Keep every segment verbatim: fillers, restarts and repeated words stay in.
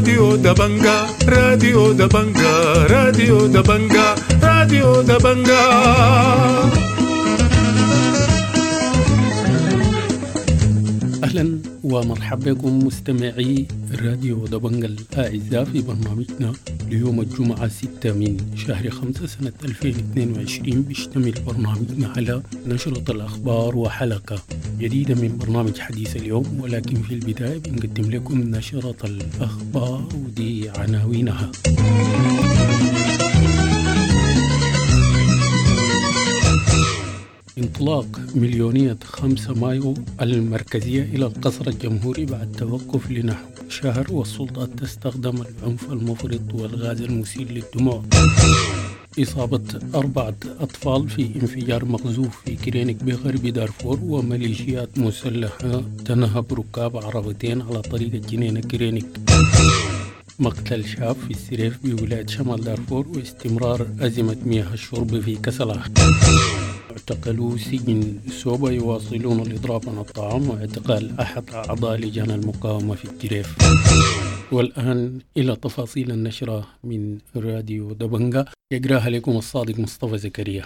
راديو دبنجا، راديو دبنجا، راديو دبنجا، راديو دبنجا. أهلا ومرحبا بكم مستمعي راديو دبنجا الأعزاء في برنامجنا ليوم الجمعة ستة من شهر خمسة سنة ألفين واثنين وعشرين. بيشتمل برنامجنا على نشرة الأخبار وحلقة جديدة من برنامج حديث اليوم، ولكن في البداية بنقدم لكم نشرة الأخبار ودي عناوينها. انطلاق مليونية خمسة مايو المركزية إلى القصر الجمهوري بعد توقف لنحو شهر، والسلطات تستخدم العنف المفرط والغاز المسيل للدموع. إصابة أربعة أطفال في انفجار مقذوف في كرينك بغرب دارفور، وميليشيات مسلحة تنهب ركاب عربتين على طريق الجنينة كرينك. مقتل شاب في السريف بولاية شمال دارفور، واستمرار أزمة مياه الشرب في كسلا. اعتقلوا سجن سوبا يواصلون الإضراب عن الطعام، واعتقال أحد أعضاء لجان المقاومة في الجريف. والآن إلى تفاصيل النشرة من راديو دبنجا، يقراها لكم الصادق مصطفى زكريا.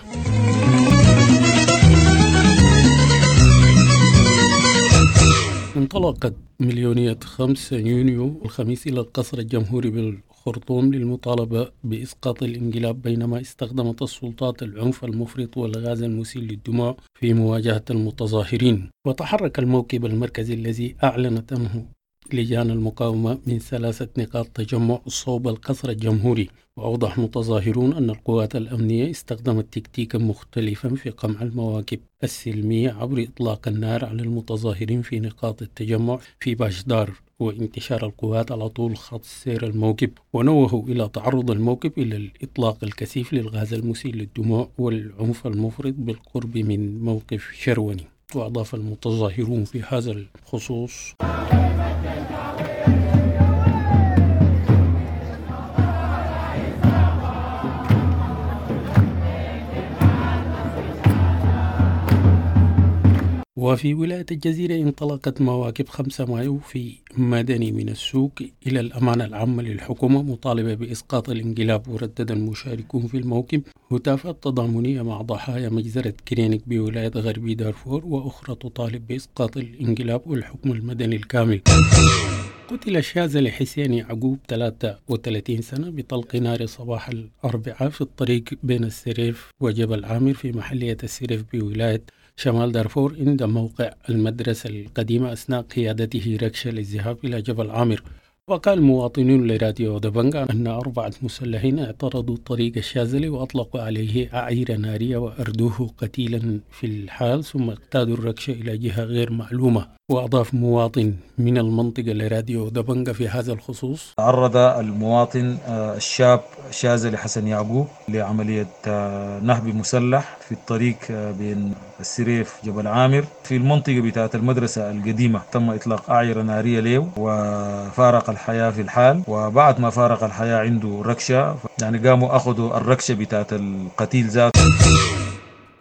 انطلقت مليونية خمسة يونيو الخميس إلى القصر الجمهوري بالخرطوم للمطالبة بإسقاط الانقلاب، بينما استخدمت السلطات العنف المفرط والغاز المسيل للدموع في مواجهة المتظاهرين. وتحرك الموكب المركزي الذي أعلنت عنه لجان المقاومة من ثلاثة نقاط تجمع صوب القصر الجمهوري. وأوضح متظاهرون أن القوات الأمنية استخدمت تكتيكا مختلفا في قمع المواكب السلمية عبر إطلاق النار على المتظاهرين في نقاط التجمع في باشدار، وانتشار القوات على طول خط سير الموكب. ونوهوا إلى تعرض الموكب إلى الإطلاق الكثيف للغاز المسيل للدموع والعنف المفرط بالقرب من موقف شروني. وأضاف المتظاهرون في هذا الخصوص: وفي ولاية الجزيرة انطلقت مواكب خمسة مايو في مدني من السوق إلى الأمانة العامة للحكومة مطالبة بإسقاط الانقلاب. وردد المشاركون في الموكب هتافات تضامنية مع ضحايا مجزرة كرينك بولاية غربي دارفور، وأخرى تطالب بإسقاط الانقلاب والحكم المدني الكامل. قتل الشاذلي حسين يعقوب ثلاثة وثلاثين سنة بطلق نار صباح الأربعاء في الطريق بين السريف وجبل عامر في محلية السريف بولاية شمال دارفور عند موقع المدرسة القديمة أثناء قيادته ركشة للذهاب إلى جبل عامر. وقال مواطنون لراديو دبنجا أن أربعة مسلحين اعترضوا طريق الشاذلي وأطلقوا عليه أعيرة نارية وأردوه قتيلا في الحال، ثم اقتادوا الركشة إلى جهة غير معلومة. وأضاف مواطن من المنطقة لراديو دبنجا في هذا الخصوص: تعرض المواطن الشاب شاذلي حسن يعقوب لعملية نهب مسلح في الطريق بين السريف جبل عامر في المنطقة بتاعة المدرسة القديمة. تم إطلاق أعيرة نارية له وفارق الحياة في الحال، وبعد ما فارق الحياة عنده ركشة، يعني قاموا أخذوا الركشة بتاعة القتيل ذاته.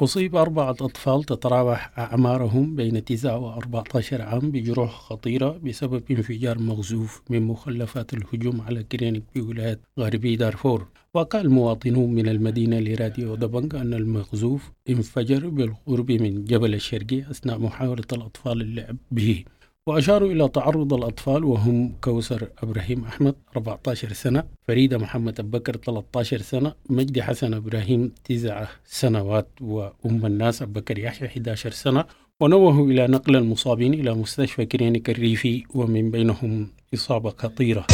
أصيب أربعة أطفال تتراوح أعمارهم بين تسعة وأربعة عشر عام بجروح خطيرة بسبب انفجار مغزوف من مخلفات الهجوم على كرينك بولاية غربي دارفور. وقال مواطنون من المدينة لراديو دبنجا أن المغزوف انفجر بالقرب من جبل الشرقي أثناء محاولة الأطفال اللعب به. وأشاروا إلى تعرض الأطفال وهم كوثر إبراهيم أحمد أربعة عشر سنة، فريدة محمد أبو بكر ثلاثة عشر سنة، مجدي حسن إبراهيم تسع سنوات، وأم الناس أبو بكر يحيى أحد عشر سنة. ونوهوا إلى نقل المصابين إلى مستشفى كرينك الريفي ومن بينهم إصابة خطيرة.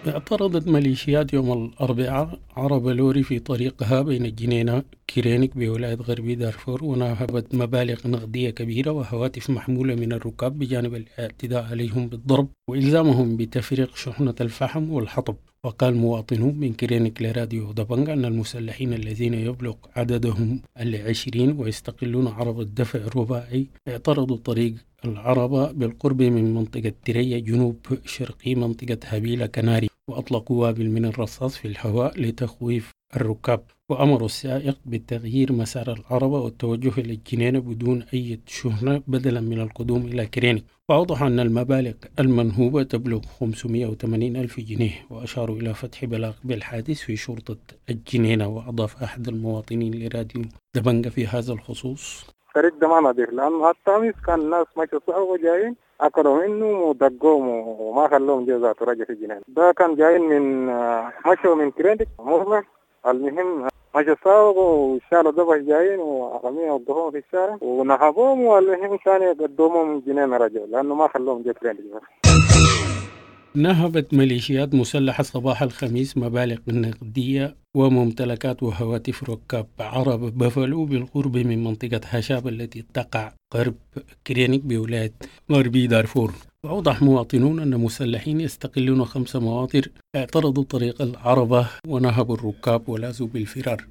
اعترضت ميليشيات يوم الأربعاء عربة لوري في طريقها بين الجنينة كرينك بولاية غربي دارفور، ونهبت مبالغ نقدية كبيرة وهواتف محمولة من الركاب بجانب الاعتداء عليهم بالضرب وإلزامهم بتفريغ شحنة الفحم والحطب. وقال مواطنون من كرينك لراديو دبنجا أن المسلحين الذين يبلغ عددهم العشرين ويستقلون عربة دفع رباعي اعترضوا طريق العربة بالقرب من منطقة تريا جنوب شرقي منطقة هبيلة كناري، وأطلقوا وابل من الرصاص في الهواء لتخويف الركاب، وأمروا السائق بتغيير مسار العربة والتوجه إلى الجنينة بدون أي شحنة بدلا من القدوم إلى كرينك. وأوضح أن المبالغ المنهوبة تبلغ خمسمائة وثمانين ألف جنيه، وأشاروا إلى فتح بلاغ بالحادث في شرطة الجنينة. وأضاف أحد المواطنين لراديو دبنجة في هذا الخصوص: الطريق ده ما نظيف، لأنه حتى أمس كان الناس ماشية صعب وجايين أكلوا منه ودقوهم وما خلوهم جو ذاته رجع في الجنينة. ده كان جايين من مشوا من كرينك مرة، المهم مشوا ساوقوا وشالوا دبش جايين وعرمية وقفوهم في الشارع ونهبوهم، والمهم ثاني قدموهم جنينة رجعوا لأنه ما خلوهم جو كرينك. نهبت ميليشيات مسلحة صباح الخميس مبالغ نقدية وممتلكات وهواتف ركاب عرب بفلو بالقرب من منطقة هشاب التي تقع غرب كرينك بولاية غربي دارفور. وأوضح مواطنون أن مسلحين يستقلون خمس مواطر اعترضوا طريق العربة ونهبوا الركاب ولازوا بالفرار.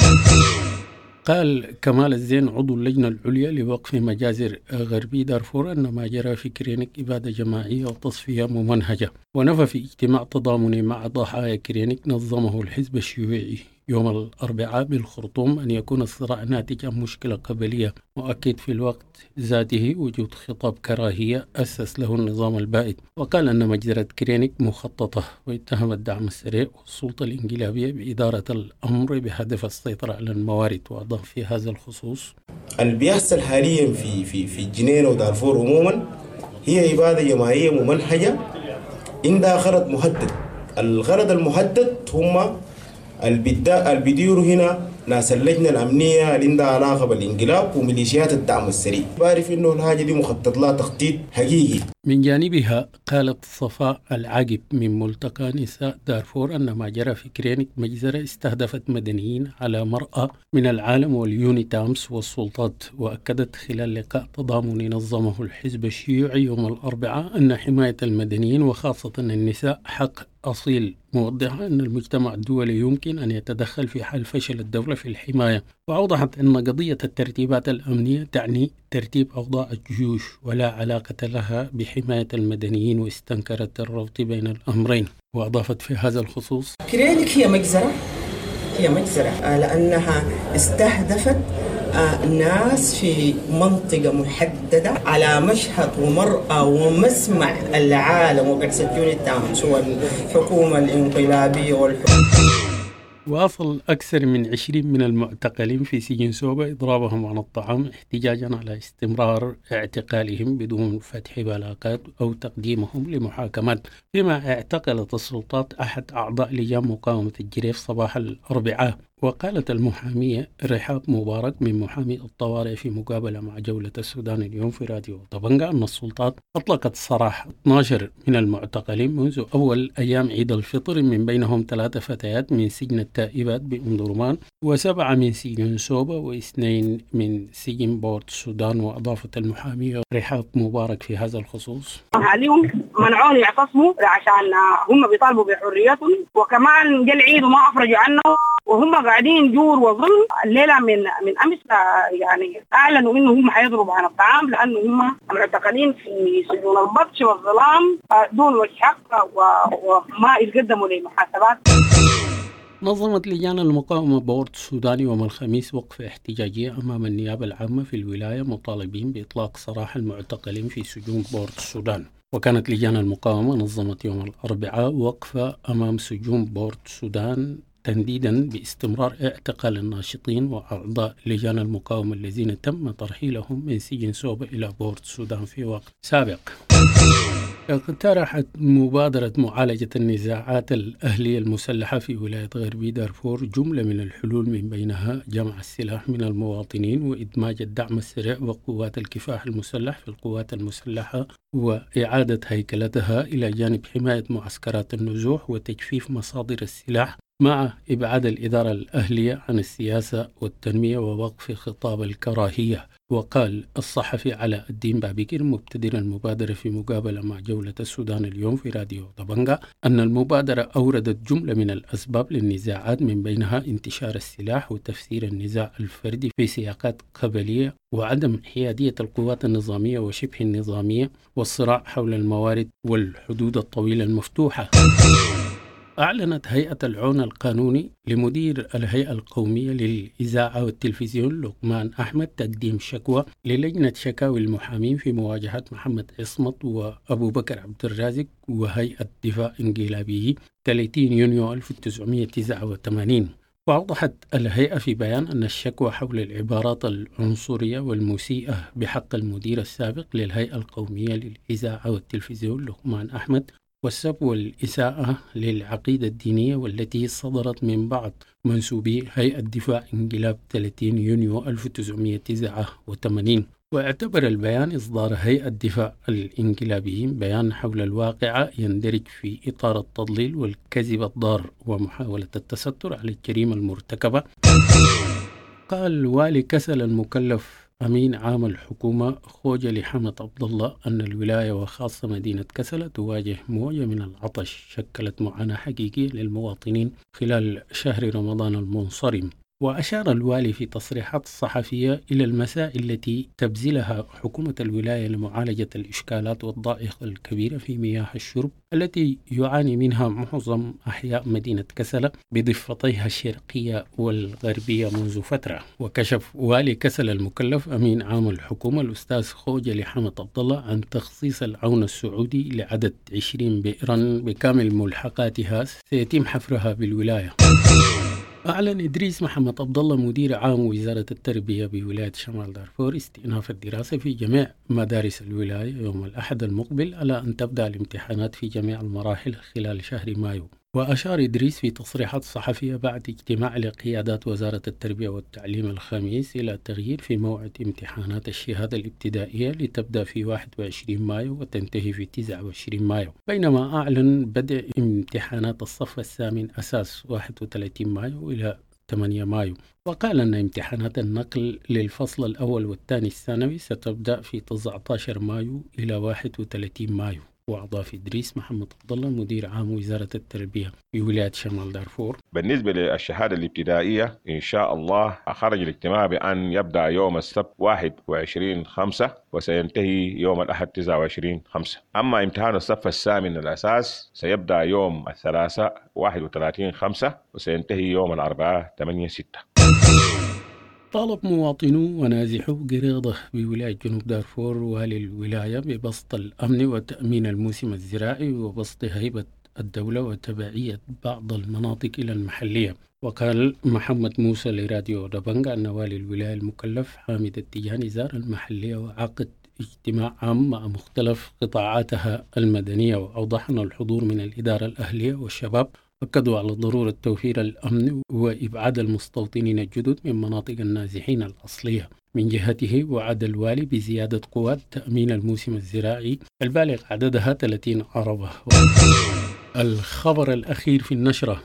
قال كمال الزين عضو اللجنة العليا لوقف مجازر غربي دارفور أن ما جرى في كرينك إبادة جماعية وتصفية ممنهجة. ونفى في اجتماع تضامني مع ضحايا كرينك نظمه الحزب الشيوعي يوم الأربعاء بالخرطوم أن يكون الصراع ناتج عن مشكلة قبلية، مؤكد في الوقت ذاته وجود خطاب كراهية أسس له النظام البائد. وقال أن مجزرة كرينك مخططة، واتهم الدعم السريع والسلطة الانقلابية بإدارة الأمر بهدف السيطرة على الموارد. وأضاف في هذا الخصوص: اللي بيحصل حاليا في في في الجنينة ودارفور عموما هي إبادة جماعية ممنهجة عندها غرض محدد. الغرض المحدد هم اللي بيديروا هنا ناس اللجنة الأمنية اللي عندها علاقة بالانقلاب وميليشيات الدعم السريع. بعرف إنه الحاجة دي مخطط لها تخطيط حقيقي. من جانبها قالت صفاء العقب من ملتقى نساء دارفور أن ما جرى في كرينك مجزرة استهدفت مدنيين على مرأى من العالم واليونيتامس والسلطات. وأكدت خلال لقاء تضامني نظمه الحزب الشيوعي يوم الأربعاء أن حماية المدنيين وخاصة النساء حق أصيل، موضحة أن المجتمع الدولي يمكن أن يتدخل في حال فشل الدولة في الحماية. وأوضحت أن قضية الترتيبات الأمنية تعني ترتيب أوضاع الجيوش ولا علاقة لها بحماية المدنيين، واستنكرت الربط بين الأمرين. وأضافت في هذا الخصوص: كرينك هي مجزرة، هي مجزرة لأنها استهدفت ناس في منطقة محددة على مشهد ومرأى ومسمع العالم وبعثة يونيتامس والحكومة الانقلابية والحكومة. واصل أكثر من عشرين من المعتقلين في سجن سوبا إضرابهم عن الطعام احتجاجا على استمرار اعتقالهم بدون فتح بلاغات أو تقديمهم لمحاكمات، فيما اعتقلت السلطات أحد أعضاء لجان مقاومة الجريف صباح الأربعاء. وقالت المحامية رحاب مبارك من محامي الطوارئ في مقابلة مع جولة السودان اليوم في راديو طبنجة أن السلطات أطلقت سراح اثنا عشر من المعتقلين منذ أول أيام عيد الفطر، من بينهم ثلاث فتيات من سجن التائبات بأم درمان وسبعة من سجن سوبا واثنين من سجن بورت السودان. وأضافت المحامية رحاب مبارك في هذا الخصوص: أهاليهم منعوني يعتصموا عشان هم بيطالبوا بحريتهم، وكمان جا العيد وما أفرجوا عنه، وهم قاعدين جور وظلم. الليلة من من أمس يعني أعلنوا إنه هم حيضربوا عن الطعام لأنه هم معتقلين في سجون البطش والظلام دون وجه حق وما يتقدموا لمحاسبات. نظمت لجان المقاومة بورت السودان يوم الخميس وقفة احتجاجية أمام النيابة العامة في الولاية مطالبين بإطلاق سراح المعتقلين في سجون بورت السودان. وكانت لجان المقاومة نظمت يوم الأربعاء وقفة أمام سجون بورت السودان تنديدا باستمرار اعتقال الناشطين وأعضاء لجان المقاومة الذين تم ترحيلهم من سجن سوبا إلى بورت السودان في وقت سابق. اقترحت مبادرة معالجة النزاعات الأهلية المسلحة في ولاية غربي دارفور جملة من الحلول، من بينها جمع السلاح من المواطنين وإدماج الدعم السريع وقوات الكفاح المسلح في القوات المسلحة وإعادة هيكلتها، إلى جانب حماية معسكرات النزوح وتجفيف مصادر السلاح، مع إبعاد الإدارة الأهلية عن السياسة والتنمية ووقف خطاب الكراهية. وقال الصحفي علاء الدين بابكر مبتدر المبادرة في مقابلة مع جولة السودان اليوم في راديو طبنجة أن المبادرة أوردت جملة من الأسباب للنزاعات، من بينها انتشار السلاح وتفسير النزاع الفردي في سياقات قبلية وعدم حيادية القوات النظامية وشبه النظامية والصراع حول الموارد والحدود الطويلة المفتوحة. أعلنت هيئة العون القانوني لمدير الهيئة القومية للإذاعة والتلفزيون لقمان أحمد تقديم شكوى للجنة شكاوي المحامين في مواجهة محمد عصمت وأبو بكر عبد الرازق وهيئة دفاع انقلابي ثلاثين يونيو ألف وتسعمائة وتسعة وثمانين. وأوضحت الهيئة في بيان أن الشكوى حول العبارات العنصرية والمسيئة بحق المدير السابق للهيئة القومية للإذاعة والتلفزيون لقمان أحمد والسب والإساءة للعقيدة الدينية والتي صدرت من بعض منسوبي هيئة دفاع انقلاب ثلاثين يونيو ألف وتسعمائة وتسعة وثمانين. واعتبر البيان إصدار هيئة دفاع الانقلابيين بيان حول الواقعة يندرج في إطار التضليل والكذب الضار ومحاولة التستر على الجريمة المرتكبة. قال والي كسل المكلف أمين عام الحكومة خوجلي حمد عبد الله أن الولاية وخاصة مدينة كسلة تواجه موجة من العطش شكلت معاناة حقيقية للمواطنين خلال شهر رمضان المنصرم. وأشار الوالي في تصريحات صحفية إلى المسائل التي تبذلها حكومة الولاية لمعالجة الإشكالات والضائقة الكبيرة في مياه الشرب التي يعاني منها معظم أحياء مدينة كسلة بضفتيها الشرقية والغربية منذ فترة. وكشف والي كسلة المكلف أمين عام الحكومة الأستاذ خوجلي حمد عبد الله عن تخصيص العون السعودي لعدد عشرين بئرا بكامل ملحقاتها سيتم حفرها بالولاية. أعلن إدريس محمد عبد الله مدير عام وزارة التربية بولاية شمال دارفور استئناف الدراسة في جميع مدارس الولاية يوم الأحد المقبل على أن تبدأ الامتحانات في جميع المراحل خلال شهر مايو. وأشار إدريس في تصريحات صحفية بعد اجتماع لقيادات وزارة التربية والتعليم الخميس إلى تغيير في موعد امتحانات الشهادة الابتدائية لتبدأ في واحد وعشرين مايو وتنتهي في تسعة وعشرين مايو، بينما أعلن بدء امتحانات الصف الثامن أساس واحد وثلاثين مايو إلى ثمانية مايو. وقال أن امتحانات النقل للفصل الأول والثاني الثانوي ستبدأ في تسعة عشر مايو إلى واحد وثلاثين مايو. وأضاف إدريس محمد عبد الله مدير عام وزارة التربية بولاية شمال دارفور: بالنسبة للشهادة الابتدائية إن شاء الله خرج الاجتماع بأن يبدأ يوم السبت واحد وعشرين خمسة وسينتهي يوم الأحد تسعة وعشرين خمسة. أما امتحان الصف الثامن الأساس سيبدأ يوم الثلاثاء واحد وثلاثين خمسة وسينتهي يوم الأربعاء ثمانية ستة. طالب مواطنو ونازحو قريضة بولاية جنوب دارفور والي الولاية ببسط الأمن وتأمين الموسم الزراعي وبسط هيبة الدولة وتبعية بعض المناطق إلى المحلية. وقال محمد موسى لراديو دبنجا أن والي الولاية المكلف حامد التجاني زار المحلية وعقد اجتماع عام مع مختلف قطاعاتها المدنية، وأوضح أن الحضور من الإدارة الأهلية والشباب أكدوا على ضرورة توفير الأمن وإبعاد المستوطنين الجدد من مناطق النازحين الأصلية. من جهته وعد الوالي بزيادة قوات تأمين الموسم الزراعي البالغ عددها ثلاثين عربة. الخبر الأخير في النشرة: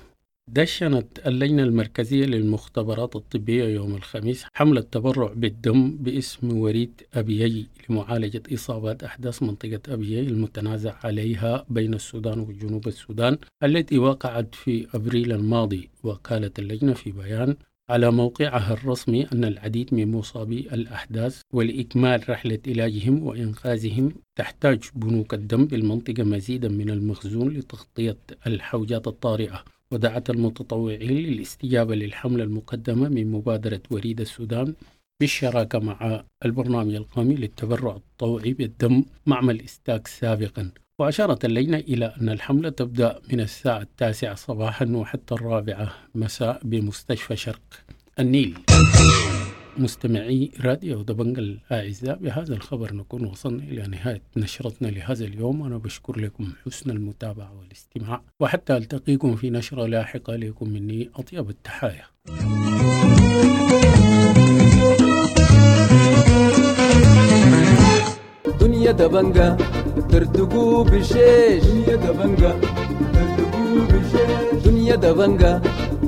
دشنت اللجنة المركزية للمختبرات الطبية يوم الخميس حملة تبرع بالدم باسم وريد أبيي لمعالجة إصابات أحداث منطقة أبيي المتنازع عليها بين السودان وجنوب السودان التي وقعت في أبريل الماضي. وقالت اللجنة في بيان على موقعها الرسمي أن العديد من مصابي الأحداث ولإكمال رحلة علاجهم وإنقاذهم تحتاج بنوك الدم بالمنطقة مزيدا من المخزون لتغطية الحوجات الطارئة. ودعت المتطوعين للاستجابة للحملة المقدمة من مبادرة وريد السودان بالشراكة مع البرنامج القومي للتبرع الطوعي بالدم معمل إستاك سابقا. وأشارت اللجنة إلى أن الحملة تبدأ من الساعة التاسعة صباحا وحتى الرابعة مساء بمستشفى شرق النيل. مستمعي راديو دبنجا الأعزاء، بهذا الخبر نكون وصلنا إلى نهاية نشرتنا لهذا اليوم. أنا بشكر لكم حسن المتابعة والاستماع، وحتى ألتقيكم في نشرة لاحقة لكم مني أطيب التحايا. دنيا دبنجا ترتقو بشيش، دنيا دبنجا ترتقو بشيش، دنيا دبنجا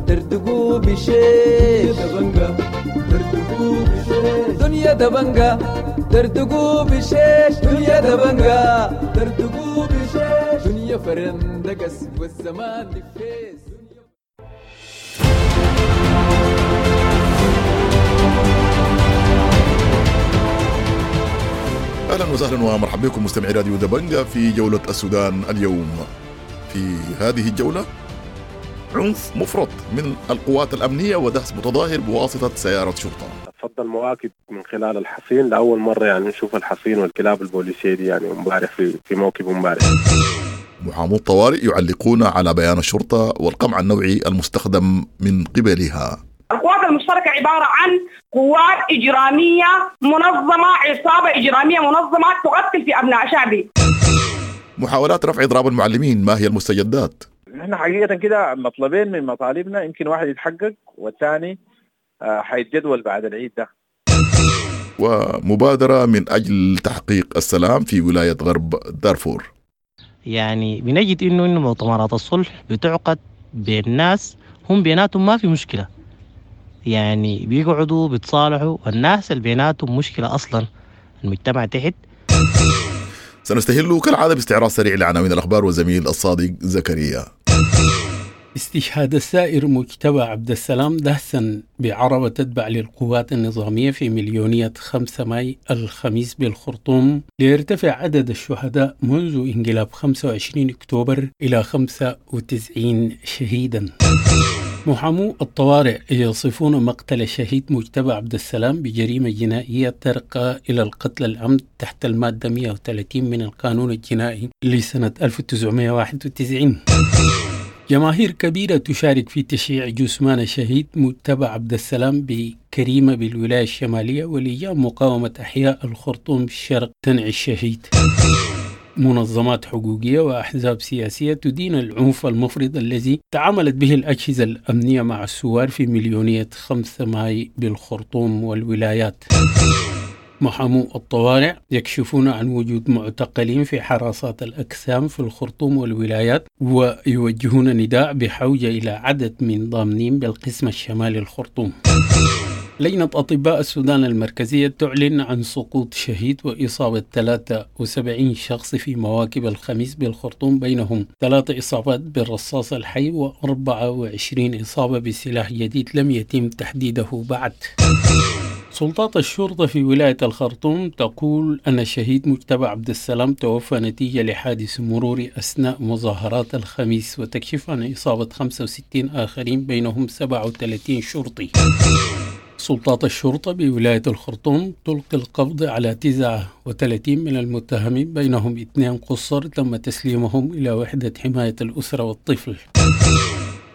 ترتقو بشيش، دبنجا ترتقو بشيش، دنيا دبنجا ترتقو بشيش، دنيا دبنجا ترتقو بشيش، دنيا فرندقس والزمان نفيس. أهلا وسهلا ومرحبا بكم مستمعي راديو دبنجا في جولة السودان اليوم. في هذه الجولة عنف مفرط من القوات الأمنية ودهس متظاهر بواسطة سيارة شرطة. فض المواكب من خلال الحصين لأول مرة، يعني نشوف الحصين والكلاب البوليسية دي يعني امبارح في في موكب امبارح. محامو الطوارئ يعلقون على بيان الشرطة والقمع النوعي المستخدم من قبلها. القوات المشتركة عبارة عن قوات إجرامية منظمة، عصابة إجرامية منظمة تقتل في أبناء شعبي. محاولات رفع إضراب المعلمين، ما هي المستجدات؟ نحن حقيقة كده مطلبين من مطالبنا، يمكن واحد يتحقق والثاني حيتجدول بعد العيد ده. ومبادرة من أجل تحقيق السلام في ولاية غرب دارفور. يعني بنجد إنه إنه مؤتمرات الصلح بتعقد بين ناس هم بيناتهم ما في مشكلة، يعني بيقعدوا بيتصالحوا، والناس اللي بيناتهم مشكلة أصلا المجتمع تحت. سنستهل كالعادة باستعراض سريع لعناوين الأخبار والزميل الصادق زكريا. استشهاد السائر مجتبى عبد السلام دهسا بعربة تتبع للقوات النظامية في مليونية خمسة ماي الخميس بالخرطوم، ليرتفع عدد الشهداء منذ انقلاب خمسة وعشرين أكتوبر إلى خمسة وتسعين شهيدا. محامو الطوارئ يصفون مقتل الشهيد مجتبى عبد السلام بجريمة جنائية ترقى إلى القتل العمد تحت المادة مئة وثلاثين من القانون الجنائي لسنة ألف وتسعمئة وواحد وتسعين. جماهير كبيرة تشارك في تشييع جثمان الشهيد مجتبى عبد السلام بكريمة بالولاية الشمالية، ولجان مقاومة أحياء الخرطوم الشرق تنعي الشهيد. منظمات حقوقية وأحزاب سياسية تدين العنف المفرط الذي تعاملت به الأجهزة الأمنية مع الثوار في مليونية خمسة ماي بالخرطوم والولايات. محامو الطوارئ يكشفون عن وجود معتقلين في حراسات الأجسام في الخرطوم والولايات، ويوجهون نداء بحوجة إلى عدد من ضامنين بالقسم الشمالي الخرطوم. لجنة أطباء السودان المركزية تعلن عن سقوط شهيد وإصابة ثلاثة وسبعين شخص في مواكب الخميس بالخرطوم، بينهم ثلاث إصابات بالرصاص الحي وأربعة وعشرين إصابة بسلاح جديد لم يتم تحديده بعد. سلطات الشرطة في ولاية الخرطوم تقول أن الشهيد مجتبى عبد السلام توفى نتيجة لحادث مروري أثناء مظاهرات الخميس، وتكشف عن إصابة خمسة وستين آخرين بينهم سبعة وثلاثين شرطي. سلطات الشرطة بولاية الخرطوم تلقي القبض على تسعة وثلاثين من المتهمين بينهم اثنين قصر تم تسليمهم إلى وحدة حماية الأسرة والطفل.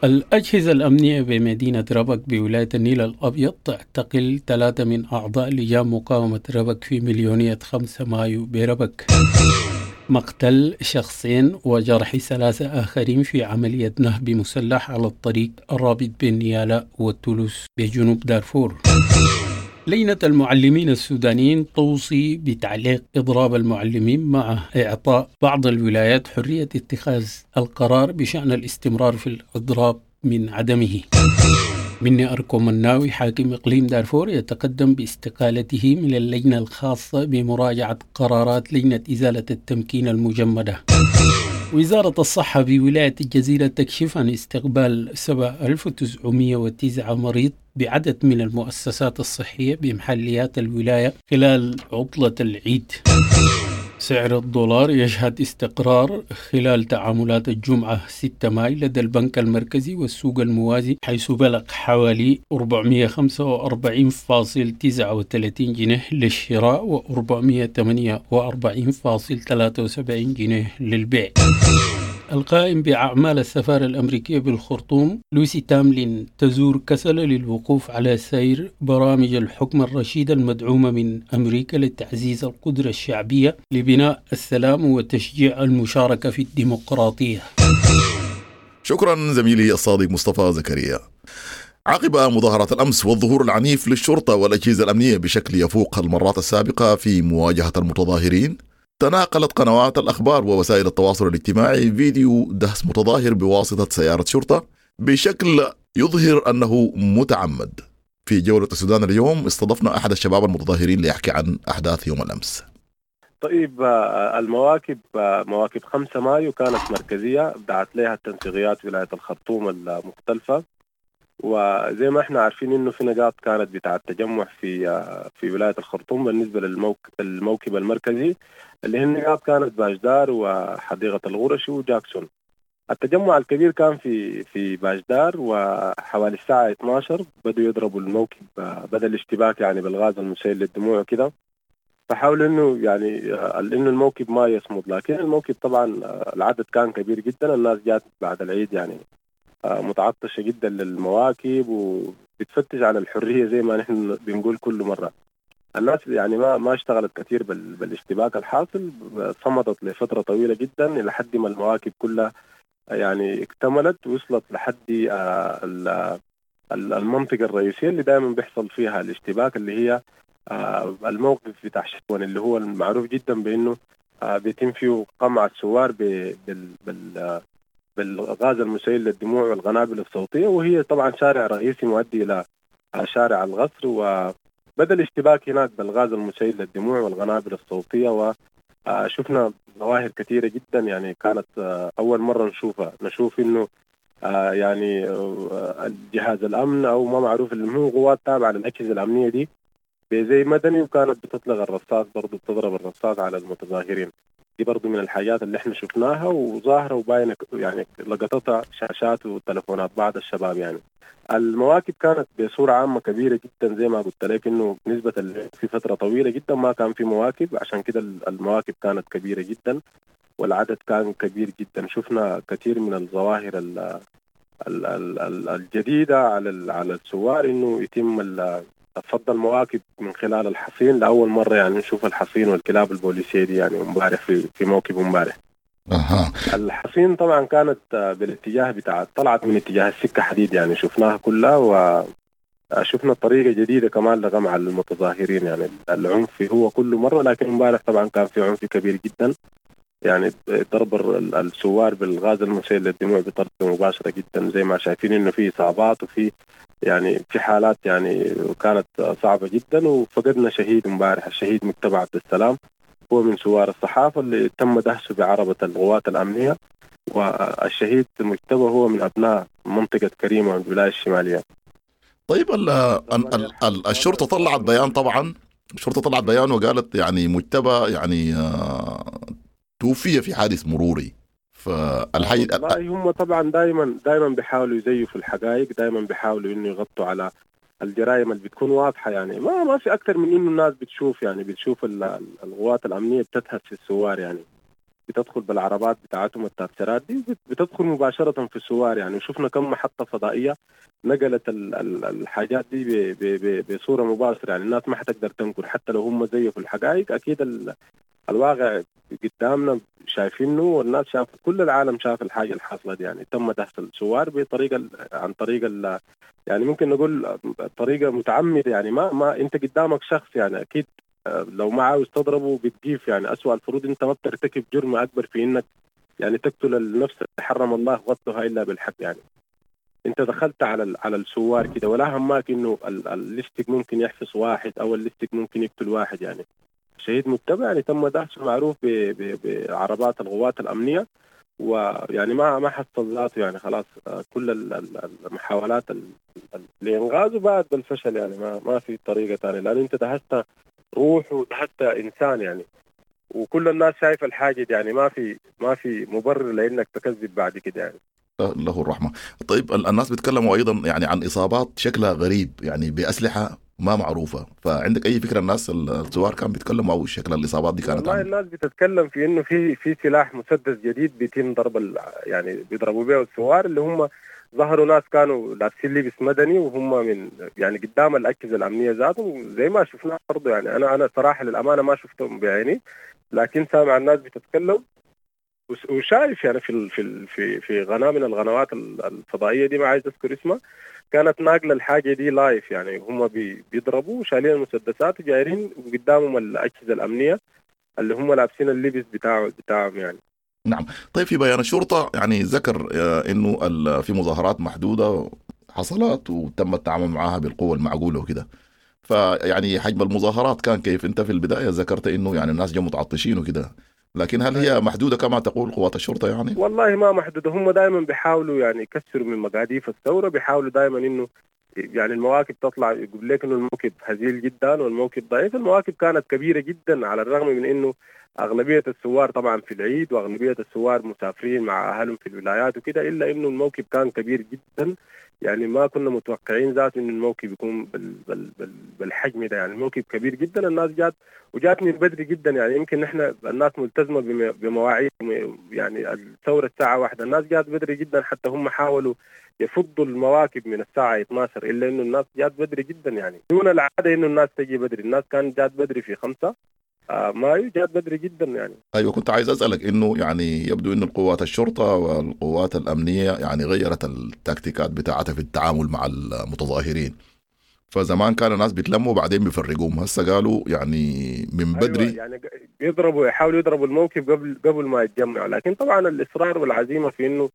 الأجهزة الأمنية بمدينة ربك بولاية النيل الأبيض تعتقل ثلاثة من أعضاء لجان مقاومة ربك في مليونية خمسة مايو بربك. مقتل شخصين وجرح ثلاثة آخرين في عملية نهب مسلح على الطريق الرابط بين نيالا وتولوس بجنوب دارفور. لجنة المعلمين السودانيين توصي بتعليق إضراب المعلمين مع إعطاء بعض الولايات حرية اتخاذ القرار بشأن الاستمرار في الإضراب من عدمه. مني أركو مناوي حاكم إقليم دارفور يتقدم باستقالته من اللجنة الخاصة بمراجعة قرارات لجنة إزالة التمكين المجمدة. وزارة الصحة بولاية الجزيرة تكشف عن استقبال سبعة آلاف وتسعمئة وتسعة مريض بعدد من المؤسسات الصحية بمحليات الولاية خلال عطلة العيد. سعر الدولار يشهد استقرار خلال تعاملات الجمعة ستة مايو لدى البنك المركزي والسوق الموازي، حيث بلغ حوالي أربعمئة وخمسة وأربعين فاصل تسعة وثلاثين جنيه للشراء و أربعمئة وثمانية وأربعين فاصل ثلاثة وسبعين جنيه للبيع. القائم بأعمال السفارة الأمريكية بالخرطوم لوسي تاملين تزور كسلة للوقوف على سير برامج الحكم الرشيد المدعومة من أمريكا لتعزيز القدرة الشعبية لبناء السلام وتشجيع المشاركة في الديمقراطية. شكرا زميلي الصادق مصطفى زكريا. عقب مظاهرات الأمس والظهور العنيف للشرطة والأجهزة الأمنية بشكل يفوق المرات السابقة في مواجهة المتظاهرين، تناقلت قنوات الأخبار ووسائل التواصل الاجتماعي فيديو دهس متظاهر بواسطة سيارة شرطة بشكل يظهر أنه متعمد. في جولة السودان اليوم استضفنا أحد الشباب المتظاهرين ليحكي عن أحداث يوم الأمس. طيب، المواكب مواكب خمسة مايو كانت مركزية، دعت لها التنسيقيات ولاية الخرطوم المختلفة، وزي ما احنا عارفين انه في نقاط كانت بتاع التجمع في في ولاية الخرطوم بالنسبة للموكب المركزي، اللي هي النقاط كانت باجدار وحديقة الغرشي وجاكسون. التجمع الكبير كان في في باجدار، وحوالي الساعة اثنا عشر بدوا يضربوا الموكب، بدأ الاشتباك يعني بالغاز المسيل للدموع وكده، فحاولوا انه يعني انه الموكب ما يصمد، لكن الموكب طبعا العدد كان كبير جدا. الناس جات بعد العيد يعني متعطشة جدا للمواكب وبتفتش على الحرية زي ما نحن بنقول كل مرة. الناس يعني ما ما اشتغلت كثير بالاشتباك الحاصل، صمدت لفترة طويلة جدا لحد ما المواكب كلها يعني اكتملت وصلت لحد المنطقة الرئيسية اللي دائما بيحصل فيها الاشتباك، اللي هي الموقف بتاع شكوان، اللي هو المعروف جدا بانه بيتم فيه قمع الثوار بال بال بالغاز المسيل للدموع والقنابل الصوتية، وهي طبعا شارع رئيسي مؤدي إلى شارع القصر. وبدأ الاشتباك هناك بالغاز المسيل للدموع والقنابل الصوتية، وشفنا ظواهر كثيرة جدا يعني كانت أول مرة نشوفها، نشوف إنه يعني جهاز الأمن أو ما معروف اللي هو قوات تابعة للأجهزة الأمنية دي بزي مدني، وكانت بتطلق الرصاص برضو، بتضرب الرصاص على المتظاهرين. دي برضو من الحاجات اللي احنا شفناها وظاهرة وباينة، يعني لقطتها شاشات وتلفونات بعض الشباب. يعني المواكب كانت بصورة عامة كبيرة جدا، زي ما قلت لك انه نسبة في فترة طويلة جدا ما كان في مواكب، عشان كده المواكب كانت كبيرة جدا والعدد كان كبير جدا. شفنا كثير من الظواهر ال ال ال الجديدة على على الثوار، انه يتم فض المواكب من خلال الحصين لأول مرة، يعني نشوف الحصين والكلاب البوليسية دي يعني امبارح في في موكب امبارح. أها. الحصين طبعا كانت بالاتجاه بتاع، طلعت من اتجاه السكة حديد، يعني شفناها كلها، وشفنا طريقة جديدة كمان لقمع المتظاهرين. يعني العنف هو كل مرة، لكن امبارح طبعا كان في عنف كبير جدا، يعني ضرب الثوار بالغاز المسيل للدموع بطريقة مباشرة جدا، زي ما شايفين انه في اصابات وفي يعني في حالات يعني كانت صعبة جدا. وفقدنا شهيد امبارح، الشهيد مجتبى عبد السلام، هو من ثوار الصحافة اللي تم دهسه بعربة القوات الأمنية، والشهيد مجتبى هو من أبناء منطقة كريمة من الولاية الشمالية. طيب ال ال ال الشرطة طلعت بيان، طبعا الشرطة طلعت بيان وقالت يعني مجتبى يعني توفي في حادث مروري. فالحي والله هم طبعا دائما دائما بيحاولوا يزيفوا الحقائق، دائما بيحاولوا انه يغطوا على الجرائم اللي بتكون واضحة، يعني ما ما في اكثر من انه الناس بتشوف، يعني بتشوف القوات الامنية بتدهس في الثوار، يعني بتدخل بالعربات بتاعتهم التاتشرات دي بتدخل مباشرة في الثوار. يعني وشفنا كم محطة فضائية نقلت الحاجات دي بصورة مباشرة، يعني الناس ما حتقدر تنكر حتى لو هم زيفوا الحقائق. اكيد الواقع قدامنا شايفينه، والناس شاف، كل العالم شاف الحاجة الحاصلة دي. يعني تم دهس الثوار بطريقة عن طريق يعني ممكن نقول طريقه متعمدة، يعني ما ما انت قدامك شخص، يعني اكيد لو ما عاوز تضربه بتجيف، يعني اسوأ الفروض انت ما بترتكب جرم اكبر في انك يعني تقتل النفس حرم الله قتلها الا بالحق. يعني انت دخلت على على الثوار كده، ولا هماك انه الليستك ممكن يحفظ واحد او الليستك ممكن يقتل واحد. يعني شهيد مجتبى يعني تم دهسه معروف بعربات القوات الأمنية، ويعني ما ما حصل ذاته، يعني خلاص كل المحاولات لإنقاذه بعد بالفشل، يعني ما ما في طريقة ثانية، لأن أنت دهست روح ودهست إنسان يعني، وكل الناس شايفة الحاجة دي، يعني ما في ما في مبرر لأنك تكذب بعد كده يعني. له الرحمة. طيب الناس بيتكلموا أيضا يعني عن إصابات شكلها غريب، يعني بأسلحة ما معروفة، فعندك أي فكرة الناس الثوار كانوا بيتكلموا أو شكل الإصابات دي كانت؟ والله الناس بتتكلم في إنه في في سلاح مسدس جديد بيتم ضرب، يعني بيضربوا به الثوار اللي هم ظهروا ناس كانوا لابسين لبس مدني وهم من يعني قدام الأجهزة الأمنية ذاتهم زي ما شفنا برضه. يعني أنا أنا صراحة للأمانة ما شفتهم بعيني، لكن سامع الناس بتتكلم وشايف يعني في في في في قناة من القنوات الفضائية دي ما عايز اذكر اسمها، كانت ناقله الحاجة دي لايف، يعني هم بيضربوا شايلين المسدسات وجايرين وقدامهم الاجهزة الامنية اللي هم لابسين اللبس بتاعه بتاعهم يعني. نعم. طيب في بيان الشرطة يعني ذكر انه في مظاهرات محدودة حصلت وتم التعامل معها بالقوة المعقولة وكده، فيعني حجم المظاهرات كان كيف؟ انت في البداية ذكرت انه يعني الناس جو متعطشين وكده، لكن هل هي محدودة كما تقول قوات الشرطة يعني؟ والله ما محدودة، هم دائما بيحاولوا يعني يكسروا من مقاديف الثورة، بيحاولوا دائما إنه يعني المواكب تطلع يقول لك إنه الموكب هزيل جدا والموكب ضعيف. المواكب كانت كبيرة جدا، على الرغم من إنه أغلبية الثوار طبعا في العيد وأغلبية الثوار مسافرين مع أهلهم في الولايات وكده، إلا إنه الموكب كان كبير جدا. يعني ما كنا متوقعين ذاته إنه الموكب يكون بال بال بال بالحجم ده. يعني الموكب كبير جدا، الناس جات وجات من بدري جدا. يعني يمكن نحن الناس ملتزمة بمواعيد، يعني الثورة الساعة واحدة، الناس جات بدري جدا، حتى هم حاولوا يفضوا المواكب من الساعة اثنا عشر، إلا إنه الناس جات بدري جدا. يعني دون العادة إنه الناس تجي بدري، الناس كانت جات بدري في خمسة مايو، جات بدري جدا يعني. ايوه، كنت عايز اسالك انه يعني يبدو انه القوات الشرطة والقوات الامنية يعني غيرت التكتيكات بتاعتها في التعامل مع المتظاهرين. فزمان كان الناس بيتلموا وبعدين بيفرقوهم، هسه قالوا يعني من بدري. أيوة، يعني يضربوا، يحاولوا يضربوا الموكب قبل قبل ما يتجمعوا. لكن طبعا الاصرار والعزيمة في انه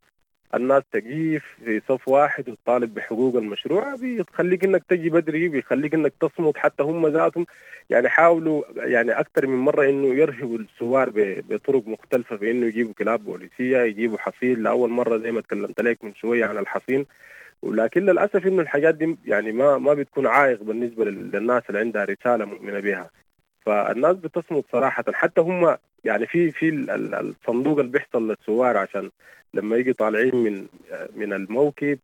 الناس تقيف في صف واحد وتطالب بحقوق المشروع بيخليك انك تجي بدري، بيخليك انك تصمت. حتى هم ذاتهم يعني حاولوا يعني اكثر من مرة انه يرهبوا الثوار بطرق مختلفة، في انه يجيبوا كلاب بوليسيه، يجيبوا حصين لاول مرة زي ما تكلمت لك من شوية عن الحصين. ولكن للاسف انه الحاجات دي يعني ما ما بتكون عائق بالنسبة للناس اللي عندها رسالة مؤمنة بها. فالناس بتصمت صراحة. حتى هم يعني في في الصندوق اللي بيحصل للثوار عشان لما يجي طالعين من من الموكب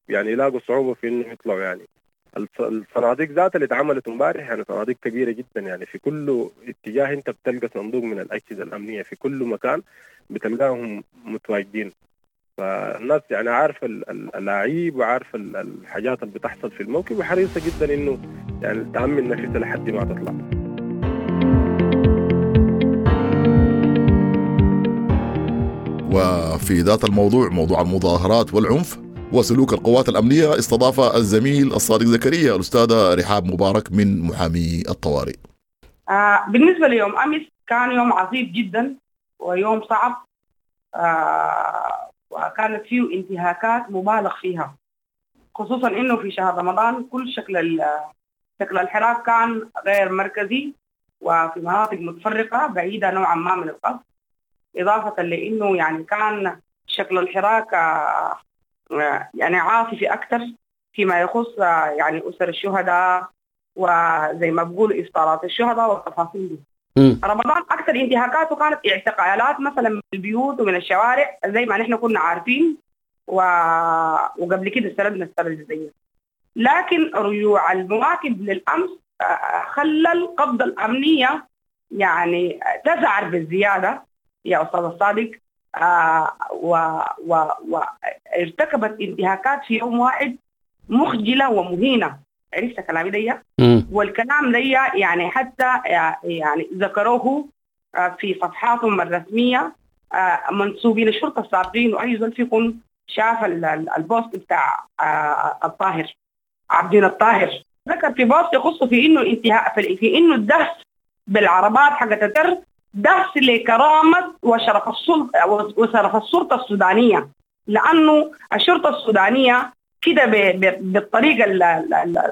يعني يلاقوا صعوبة في انه يطلعوا. يعني الصناديق ذاتها اللي اتعملت امبارح يعني صناديق كبيرة جدا، يعني في كل اتجاه انت بتلقى صندوق من الاجهزة الامنية، في كل مكان بتلقاهم متواجدين. فالناس يعني عارفه الاعيب وعارفه الحاجات اللي بتحصل في الموكب، وحريصه جدا انه يعني تامن نفسها لحد ما تطلع. وفي ذات الموضوع، موضوع المظاهرات والعنف وسلوك القوات الأمنية، استضاف الزميل الصادق زكريا الأستاذة رحاب مبارك من محامي الطوارئ. آه بالنسبة ليوم أمس كان يوم عصيب جدا ويوم صعب، آه وكانت فيه انتهاكات مبالغ فيها، خصوصا إنه في شهر رمضان كل شكل شكل الحراك كان غير مركزي وفي مناطق متفرقة بعيدة نوعا ما من القصر، إضافة لأنه يعني كان شكل الحراك يعني عاطفي أكثر فيما يخص يعني أسر الشهداء وزي ما بقول إفطارات الشهداء والتفاصيل دي. رمضان أكثر انتهاكاته كانت اعتقالات مثلا من البيوت ومن الشوارع زي ما نحن كنا عارفين، و... وقبل كده استردنا السنة الجزئية. لكن رجوع المواكب للأمس خلى القبضة الأمنية يعني تزعر بالزيادة يا أستاذ الصادق، آه وارتكبت انتهاكات في يوم واحد مخجلة ومهينة. عرفت كلامي دي؟ والكلام دي يعني حتى يعني ذكروه في صفحاتهم الرسمية منسوبين الشرطة السابقين، وأي زول فيكم شاف البوست بتاع الطاهر عبدين الطاهر، ذكر في بوست يخص في إنه انتهاء في إنه الدهس بالعربات حقت التر دهس لكرامة وشرف السلطة وشرف الشرطة السودانية، لأنه الشرطة السودانية كده بالطريقة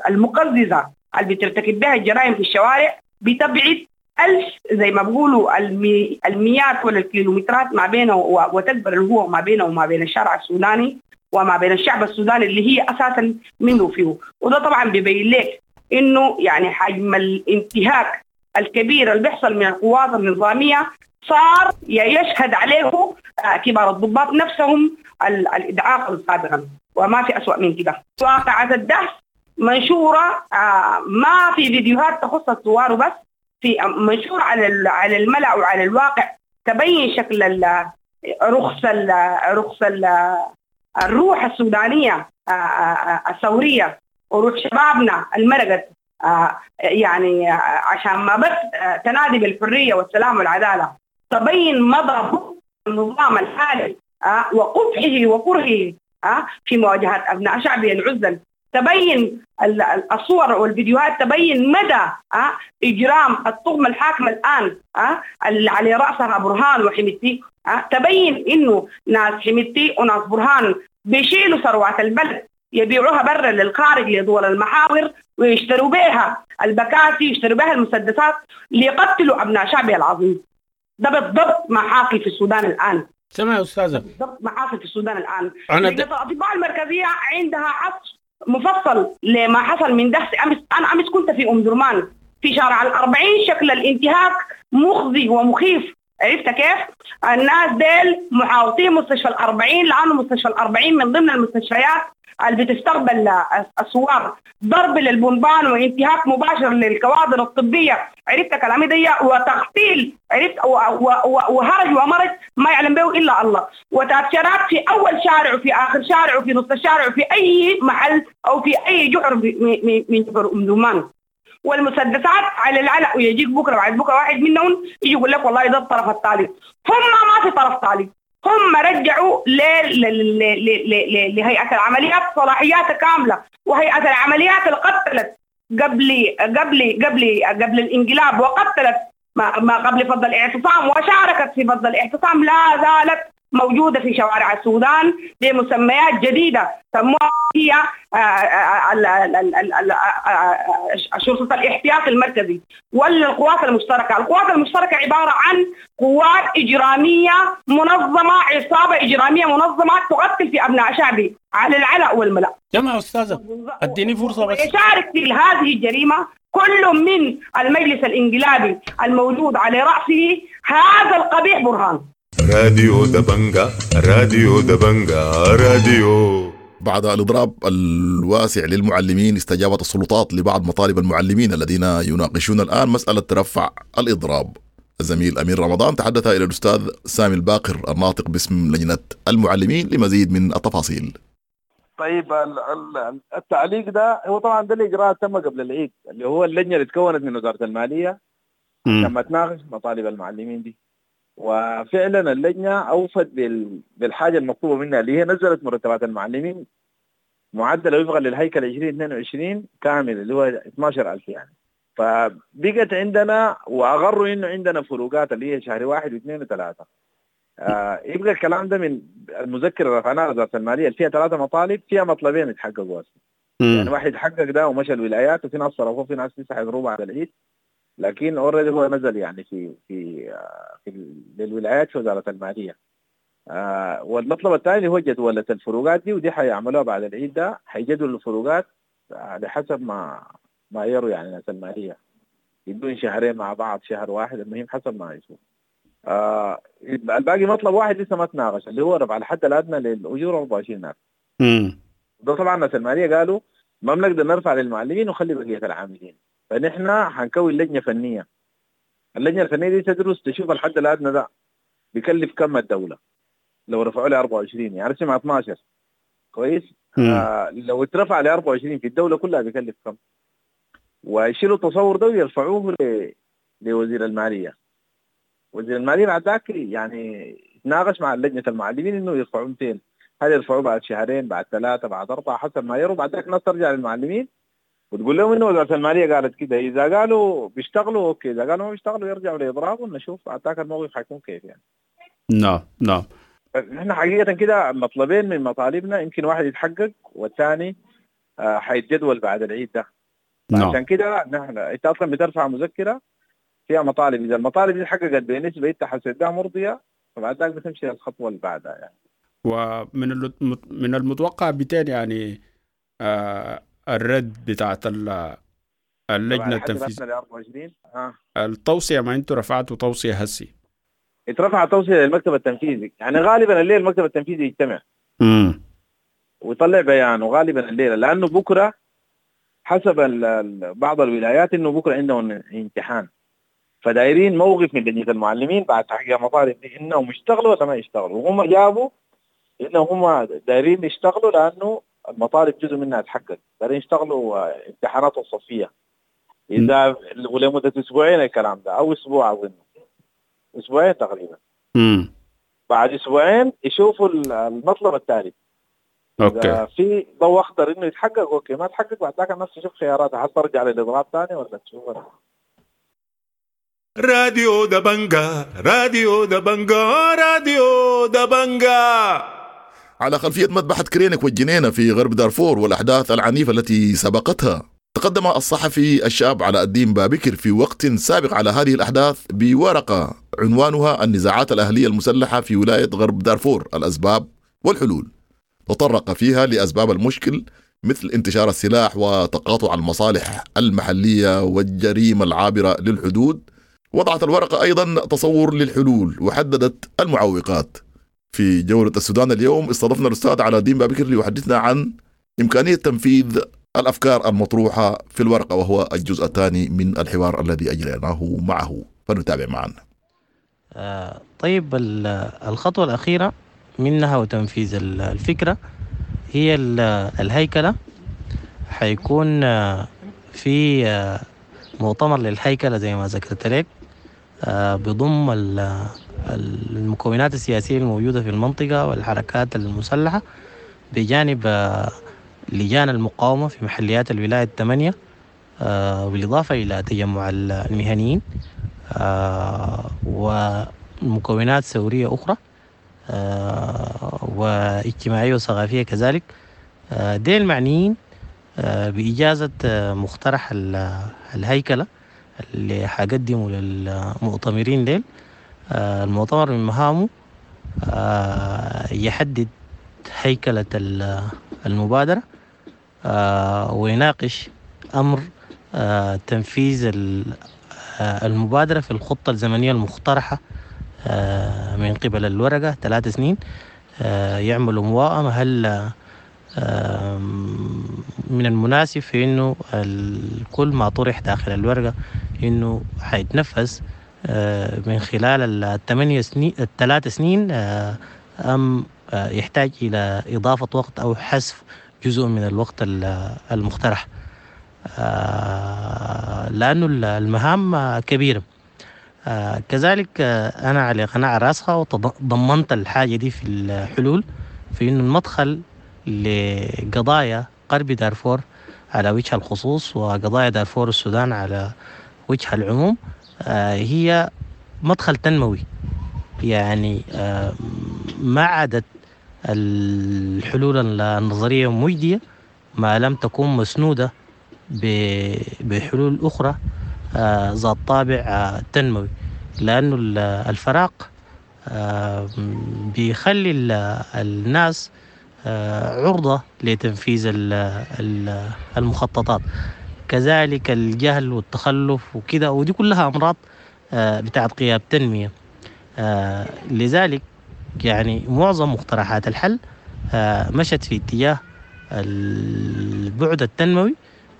المقززة اللي بترتكب بها الجرائم في الشوارع بتبعد ألف زي ما بيقولوا المي المئات ولا الكيلومترات ما بينه وتكبر الهوة ما بينه وما بين الشارع السوداني وما بين الشعب السوداني اللي هي أساسا منه فيه. وده طبعا بيبين لك إنه يعني حجم الانتهاك الكبير اللي بيحصل من القوات النظامية صار يشهد عليه كبار الضباط نفسهم الإدعاء سابقا، وما في أسوأ من كده. واقعة الدهس منشورة، ما في فيديوهات تخص الثوار وبس، في منشور على على الملأ وعلى الواقع تبين شكل رخص رخص الروح السودانية الثورية وروح شبابنا المرقت، يعني عشان ما بس تنادي بالحرية والسلام والعدالة، تبين مضى النظام الحالي وقبحه وكرهه في مواجهة أبناء شعبه العزل. تبين الصور والفيديوهات تبين مدى إجرام الطغمة الحاكمة الآن اللي على رأسها برهان وحميدتي. تبين إنه ناس حميدتي وناس برهان بيشيلوا ثروات البلد يبيعوها برا للخارج لدول المحاور ويشتروا بها البكاسي يشتروا بها المسدسات ليقتلوا أبناء شعبه العظيم. ده بالضبط ما حاصل في السودان الآن. سمع يا أستاذة، بالضبط ما حاصل في السودان الآن. أنا د... الأطباء المركزية عندها عصر مفصل لما حصل من دهس أمس. أنا أمس كنت في أم درمان في شارع الأربعين، شكل الانتهاك مخزي ومخيف. عرفت كيف؟ الناس ديل محاوطين مستشفى الأربعين، لأنه مستشفى الأربعين من ضمن المستشفيات اللي بتستقبل الثوار، ضرب للبنبان وانتهاك مباشر للكوادر الطبية. عرفت كلامي دي؟ وتغفيل، عرفت، وهرج ومرج ما يعلم به إلا الله، وتاتشرات في أول شارع وفي آخر شارع وفي نص الشارع وفي أي محل أو في أي جحر من جحر أم درمان، والمسدسات على العلق. ويجيك بكرة بعد بكرة واحد منهم يجي يقول لك والله ده الطرف الثالث. هم ما في طرف ثالث، هم رجعوا لهيئة العمليات صلاحيات كاملة، وهيئة العمليات اللي قتلت قبل قبل قبل قبل الانقلاب، وقتلت ما قبل فض الاعتصام، وشاركت في فض الاعتصام، لا زالت موجودة في شوارع السودان بمسميات جديدة سموها هي شرطة الاحتياط المركزي ولا القوات المشتركة. القوات المشتركة عبارة عن قوات إجرامية منظمة، عصابة إجرامية منظمة تقتل في أبناء شعبي على العلأ والملأ. جماعة أستاذة أديني فرصة بس. يشارك في هذه الجريمة كل من المجلس الانقلابي الموجود على رأسه هذا القبيح برهان. راديو دبنجا، راديو دبنجا، راديو. بعد الإضراب الواسع للمعلمين استجابت السلطات لبعض مطالب المعلمين الذين يناقشون الآن مسألة رفع الإضراب. الزميل أمير رمضان تحدث إلى الأستاذ سامي الباقر الناطق باسم لجنة المعلمين لمزيد من التفاصيل. طيب التعليق ده هو طبعا ده الإجراء تم قبل العيد، اللي هو اللجنة اللي تكونت من وزارة المالية لما تناقش مطالب المعلمين دي، وفعلا اللجنة أوفت بالحاجة المطلوبة منها اللي هي نزلت مرتبات المعلمين معدل وفقا للهيكل عشرين اثنين وعشرين كامل اللي هو اثنا عشر ألف يعني. فبقت عندنا وأغروا إنه عندنا فروقات اللي هي شهر واحد واثنين وثلاثة. آه يبقى الكلام ده من المذكرة اللي رفعناها وزارة المالية اللي فيها ثلاثة مطالب، فيها مطلبين يتحققوا أصلا. يعني واحد حقق ده ومشى الولايات، وفي ناس صرفوه، في ناس لسه حيضربوا بعد العيد، لكن already هو نزل يعني في في في للولايات في وزارة المالية. آه والمطلب الثاني هو جدولة الفروقات دي، ودي حيعملوها بعد العيد ده، حيجدولوا الفروقات على حسب ما ما يروا يعني ناس المالية، يدون شهرين مع بعض شهر واحد، المهم حسب ما يشوف. آه الباقي مطلب واحد لسه ما تناقش اللي هو رفع الحد الأدنى للأجور أربعة وعشرين ألف. ده طبعا ناس المالية قالوا ما بنقدر نرفع للمعلمين وخلي بقية العاملين، فنحن حنكون لجنة فنية. اللجنة الفنية دي تدرس تشوف الحد الأدنى ده بيكلف كم الدولة لو رفعوا لي أربعة وعشرين، يعني سمع اثنا عشر كويس. آه لو اترفع ل أربعة وعشرين في الدولة كلها بيكلف كم، ويشيلوا التصور ده ويرفعوه ل... لوزير المالية. وزير المالية بعد ذاك يعني يتناقش مع لجنة المعلمين إنه يرفعوا مئتين، هل يرفعوه بعد شهرين بعد ثلاثة بعد أربعة حسب ما يروا. بعد ذاك الناس ترجع للمعلمين وتقول لهم إنه وزارة المالية قالت كده، إذا قالوا بيشتغلوا okay، إذا قالوا ما بيشتغلوا يرجعوا لإضراب ونشوف بعد ذاك الموقف حيكون كيف يعني. نعم نعم. نحن حقيقة كده مطلبين من مطالبنا، يمكن واحد يتحقق والثاني حيتجدول بعد العيد ده. نعم. عشان كده نحن انت اصلا بترفع مذكره فيها مطالب، اذا المطالب دي اتحققت بنسبه انت حسيتها مرضيه فبعد ذاك بتمشي للخطوه اللي بعدها يعني. ومن من المتوقع بتين يعني آه الرد بتاعت اللجنه التنفيذيه آه. التوصيه، ما انتوا رفعتوا توصيه هسي، اترفع توصيه للمكتب التنفيذي، يعني غالبا الليل المكتب التنفيذي يجتمع امم ويطلع بيان، وغالبا الليله لانه بكره حسب بعض الولايات انه بكره عندهم امتحان، فدايرين موقف من لجنه المعلمين بعد تحقيق مطالب دي انهم يشتغلوا ولا ما يشتغلوا، وهم جابوا انهم هم دايرين يشتغلوا لانه المطالب جزء منها تحقق، دايرين يشتغلوا امتحانات الصفيه اذا ولمده اسبوعين الكلام ده او اسبوع اظن اسبوعين تقريبا. امم بعد اسبوعين يشوفوا المطلب الثالث. okay في ضوء اخضر انه يتحقق okay، ما تحقق بعد ذاك الناس تشوف خياراتها، هل ترجع للاضراب ثاني ولا تشوف. راديو دبنجا، راديو دبنجا، راديو دبنجا. على خلفية مذبحة كرينك والجنينة في غرب دارفور والأحداث العنيفة التي سبقتها، تقدم الصحفي الشاب علاء الدين بابكر في وقت سابق على هذه الأحداث بورقة عنوانها النزاعات الأهلية المسلحة في ولاية غرب دارفور، الأسباب والحلول. تطرق فيها لأسباب المشكل مثل انتشار السلاح وتقاطع المصالح المحلية والجريمة العابرة للحدود. وضعت الورقة أيضا تصور للحلول وحددت المعوقات. في جولة السودان اليوم استضفنا الأستاذ علاء الدين بابكر ليحدثنا عن إمكانية تنفيذ الأفكار المطروحة في الورقة، وهو الجزء الثاني من الحوار الذي أجريناه معه، فنتابع معا. آه طيب، الخطوة الأخيرة منها وتنفيذ الفكرة هي الهيكلة. حيكون في مؤتمر للهيكلة زي ما ذكرت لك، بضم المكونات السياسية الموجودة في المنطقة والحركات المسلحة، بجانب لجان المقاومة في محليات الولاية الثمانية، بالإضافة إلى تجمع المهنيين ومكونات ثورية أخرى واجتماعية وثقافية كذلك. ديل المعنيين بإجازة مقترح الهيكلة اللي حقدمه للمؤتمرين ديل. المؤتمر من مهامه يحدد هيكلة المبادرة ويناقش أمر تنفيذ المبادرة في الخطة الزمنية المقترحة من قبل الورقة ثلاث سنين. يعملوا موائمة هل من المناسب في إنه كل ما طرح داخل الورقة إنه حيتنفذ من خلال الثمانية سنين الثلاث سنين، أم يحتاج إلى إضافة وقت أو حذف جزء من الوقت المقترح، لأنه المهام كبيرة. كذلك أنا على قناعة راسخة وضمنت الحاجة دي في الحلول، في إنه المدخل لقضايا غرب دارفور على وجه الخصوص وقضايا دارفور السودان على وجه العموم هي مدخل تنموي. يعني ما عادت الحلول النظرية مجدية ما لم تكون مسنودة بحلول أخرى ذات طابع تنموي، لأنه الفراغ بيخلي الناس عرضة لتنفيذ المخططات، كذلك الجهل والتخلف وكده، ودي كلها أمراض بتاعت غياب تنمية. لذلك يعني معظم مقترحات الحل مشت في اتجاه البعد التنموي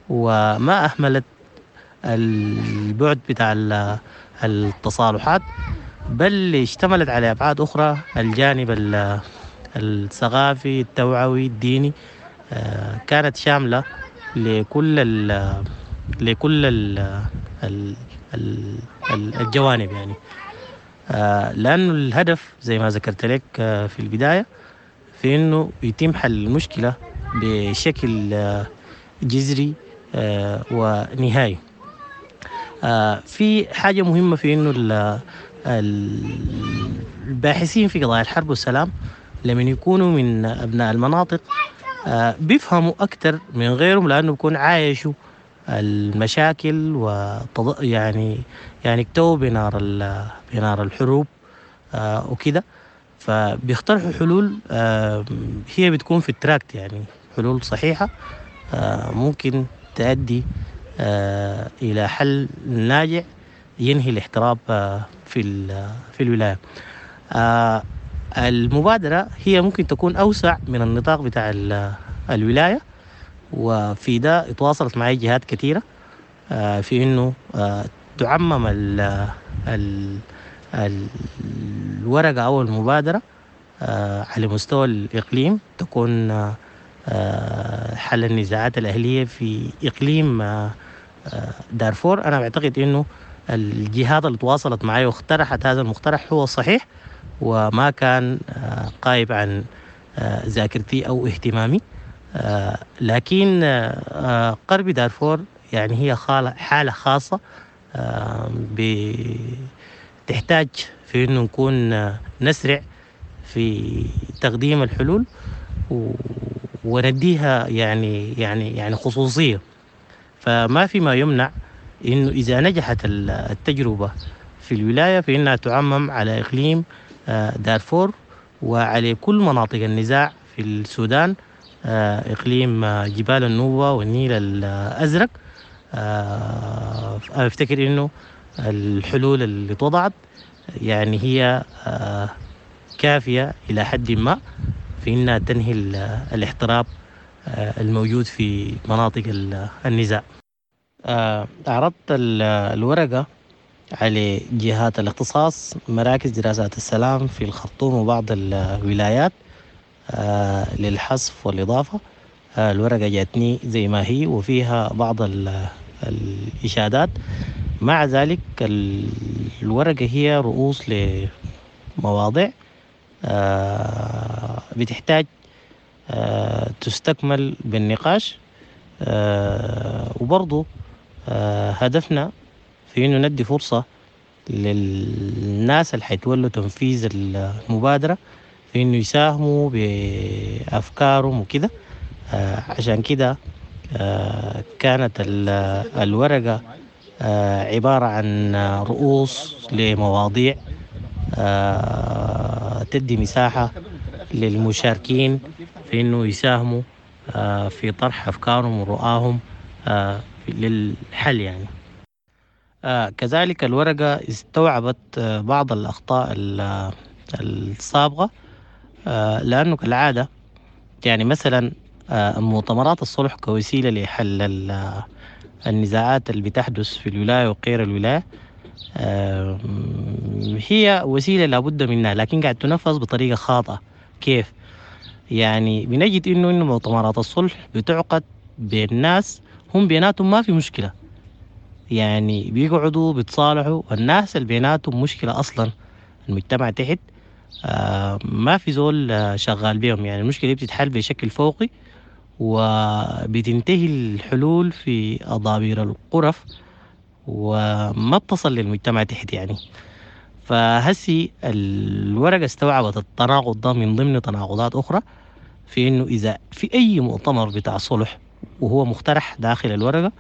وما أهملت البعد بتاع التصالحات، بل اشتملت على أبعاد أخرى، الجانب الثقافي التوعوي الديني، كانت شاملة لكل ال لكل ال الجوانب. يعني لأنه الهدف زي ما ذكرت لك في البداية في أنه يتم حل المشكلة بشكل جذري ونهائي. في حاجة مهمة في أنه الباحثين في قضايا الحرب والسلام لمن يكونوا من أبناء المناطق بيفهموا أكثر من غيرهم، لأنه بيكون عايشوا المشاكل وتض... يعني يعني اكتووا بنار ال... بنار الحروب وكده، فبيقترحوا حلول هي بتكون في التراكت، يعني حلول صحيحة ممكن تؤدي إلى حل ناجع ينهي الاحتراب في في الولاية. المبادرة هي ممكن تكون أوسع من النطاق بتاع الولاية، وفي ده اتواصلت معي جهات كثيرة في إنه تعمم ال ال الورقة أو المبادرة على مستوى الإقليم، تكون حل النزاعات الأهلية في إقليم دارفور. أنا بعتقد إنه الجهات اللي تواصلت معي واقترحت هذا المقترح هو الصحيح، وما كان قايب عن ذاكرتي أو اهتمامي. لكن قرب دارفور يعني هي حالة خاصة بتحتاج في إنه نكون نسرع في تقديم الحلول ونديها يعني يعني يعني خصوصية. فما في ما يمنع إنه إذا نجحت التجربة في الولاية فإنها تعمم على إقليم دارفور وعلى كل مناطق النزاع في السودان إقليم جبال النوبة والنيل الأزرق. أنا أفتكر إنه الحلول اللي اتوضعت يعني هي كافية إلى حد ما في إنها تنهي الاحتراب الموجود في مناطق النزاع. عرضت الورقة على جهات الاختصاص، مراكز دراسات السلام في الخرطوم وبعض الولايات للحذف والإضافة. الورقة جاتني زي ما هي وفيها بعض الإشادات. مع ذلك الورقة هي رؤوس لمواضيع بتحتاج تستكمل بالنقاش، وبرضو هدفنا في إنه ندي فرصة للناس اللي حيتولوا تنفيذ المبادرة في إنه يساهموا بأفكارهم وكده. عشان كده كانت الورقة عبارة عن رؤوس لمواضيع تدي مساحة للمشاركين في إنه يساهموا في طرح أفكارهم ورؤاهم للحل يعني. كذلك الورقة استوعبت بعض الأخطاء السابقة، لأنه كالعادة يعني مثلا مؤتمرات الصلح كوسيلة لحل النزاعات اللي بتحدث في الولاية وغير الولاية هي وسيلة لابد منها، لكن قاعد تنفذ بطريقة خاطئة. كيف؟ يعني بنجد إنه إنه مؤتمرات الصلح بتعقد بين ناس هم بيناتهم ما في مشكلة، يعني بيقعدوا بيتصالحوا، والناس اللي بيناتهم مشكلة أصلا المجتمع تحت آه ما في زول آه شغال بيهم. يعني المشكلة بتتحل بشكل فوقي وبتنتهي الحلول في أضابير الغرف وما بتصل للمجتمع تحت يعني. فهسي الورقة استوعبت التناقض ده من ضمن تناقضات أخرى في إنه إذا في أي مؤتمر بتاع صلح وهو مقترح داخل الورقة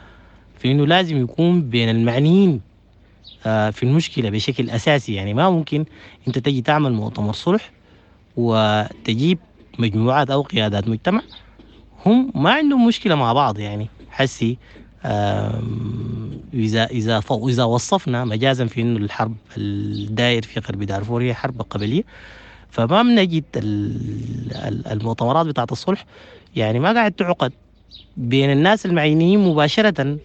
في إنه لازم يكون بين المعنيين في المشكلة بشكل أساسي. يعني ما ممكن أنت تجي تعمل مؤتمر صلح وتجيب مجموعات أو قيادات مجتمع هم ما عندهم مشكلة مع بعض. يعني حسي إذا إذا إذا وصفنا مجازا في إنه الحرب الدائر في غرب دارفور هي حرب قبلية، فما بنجد المؤتمرات بتاعت الصلح يعني ما قاعد تعقد بين الناس المعينيين مباشرة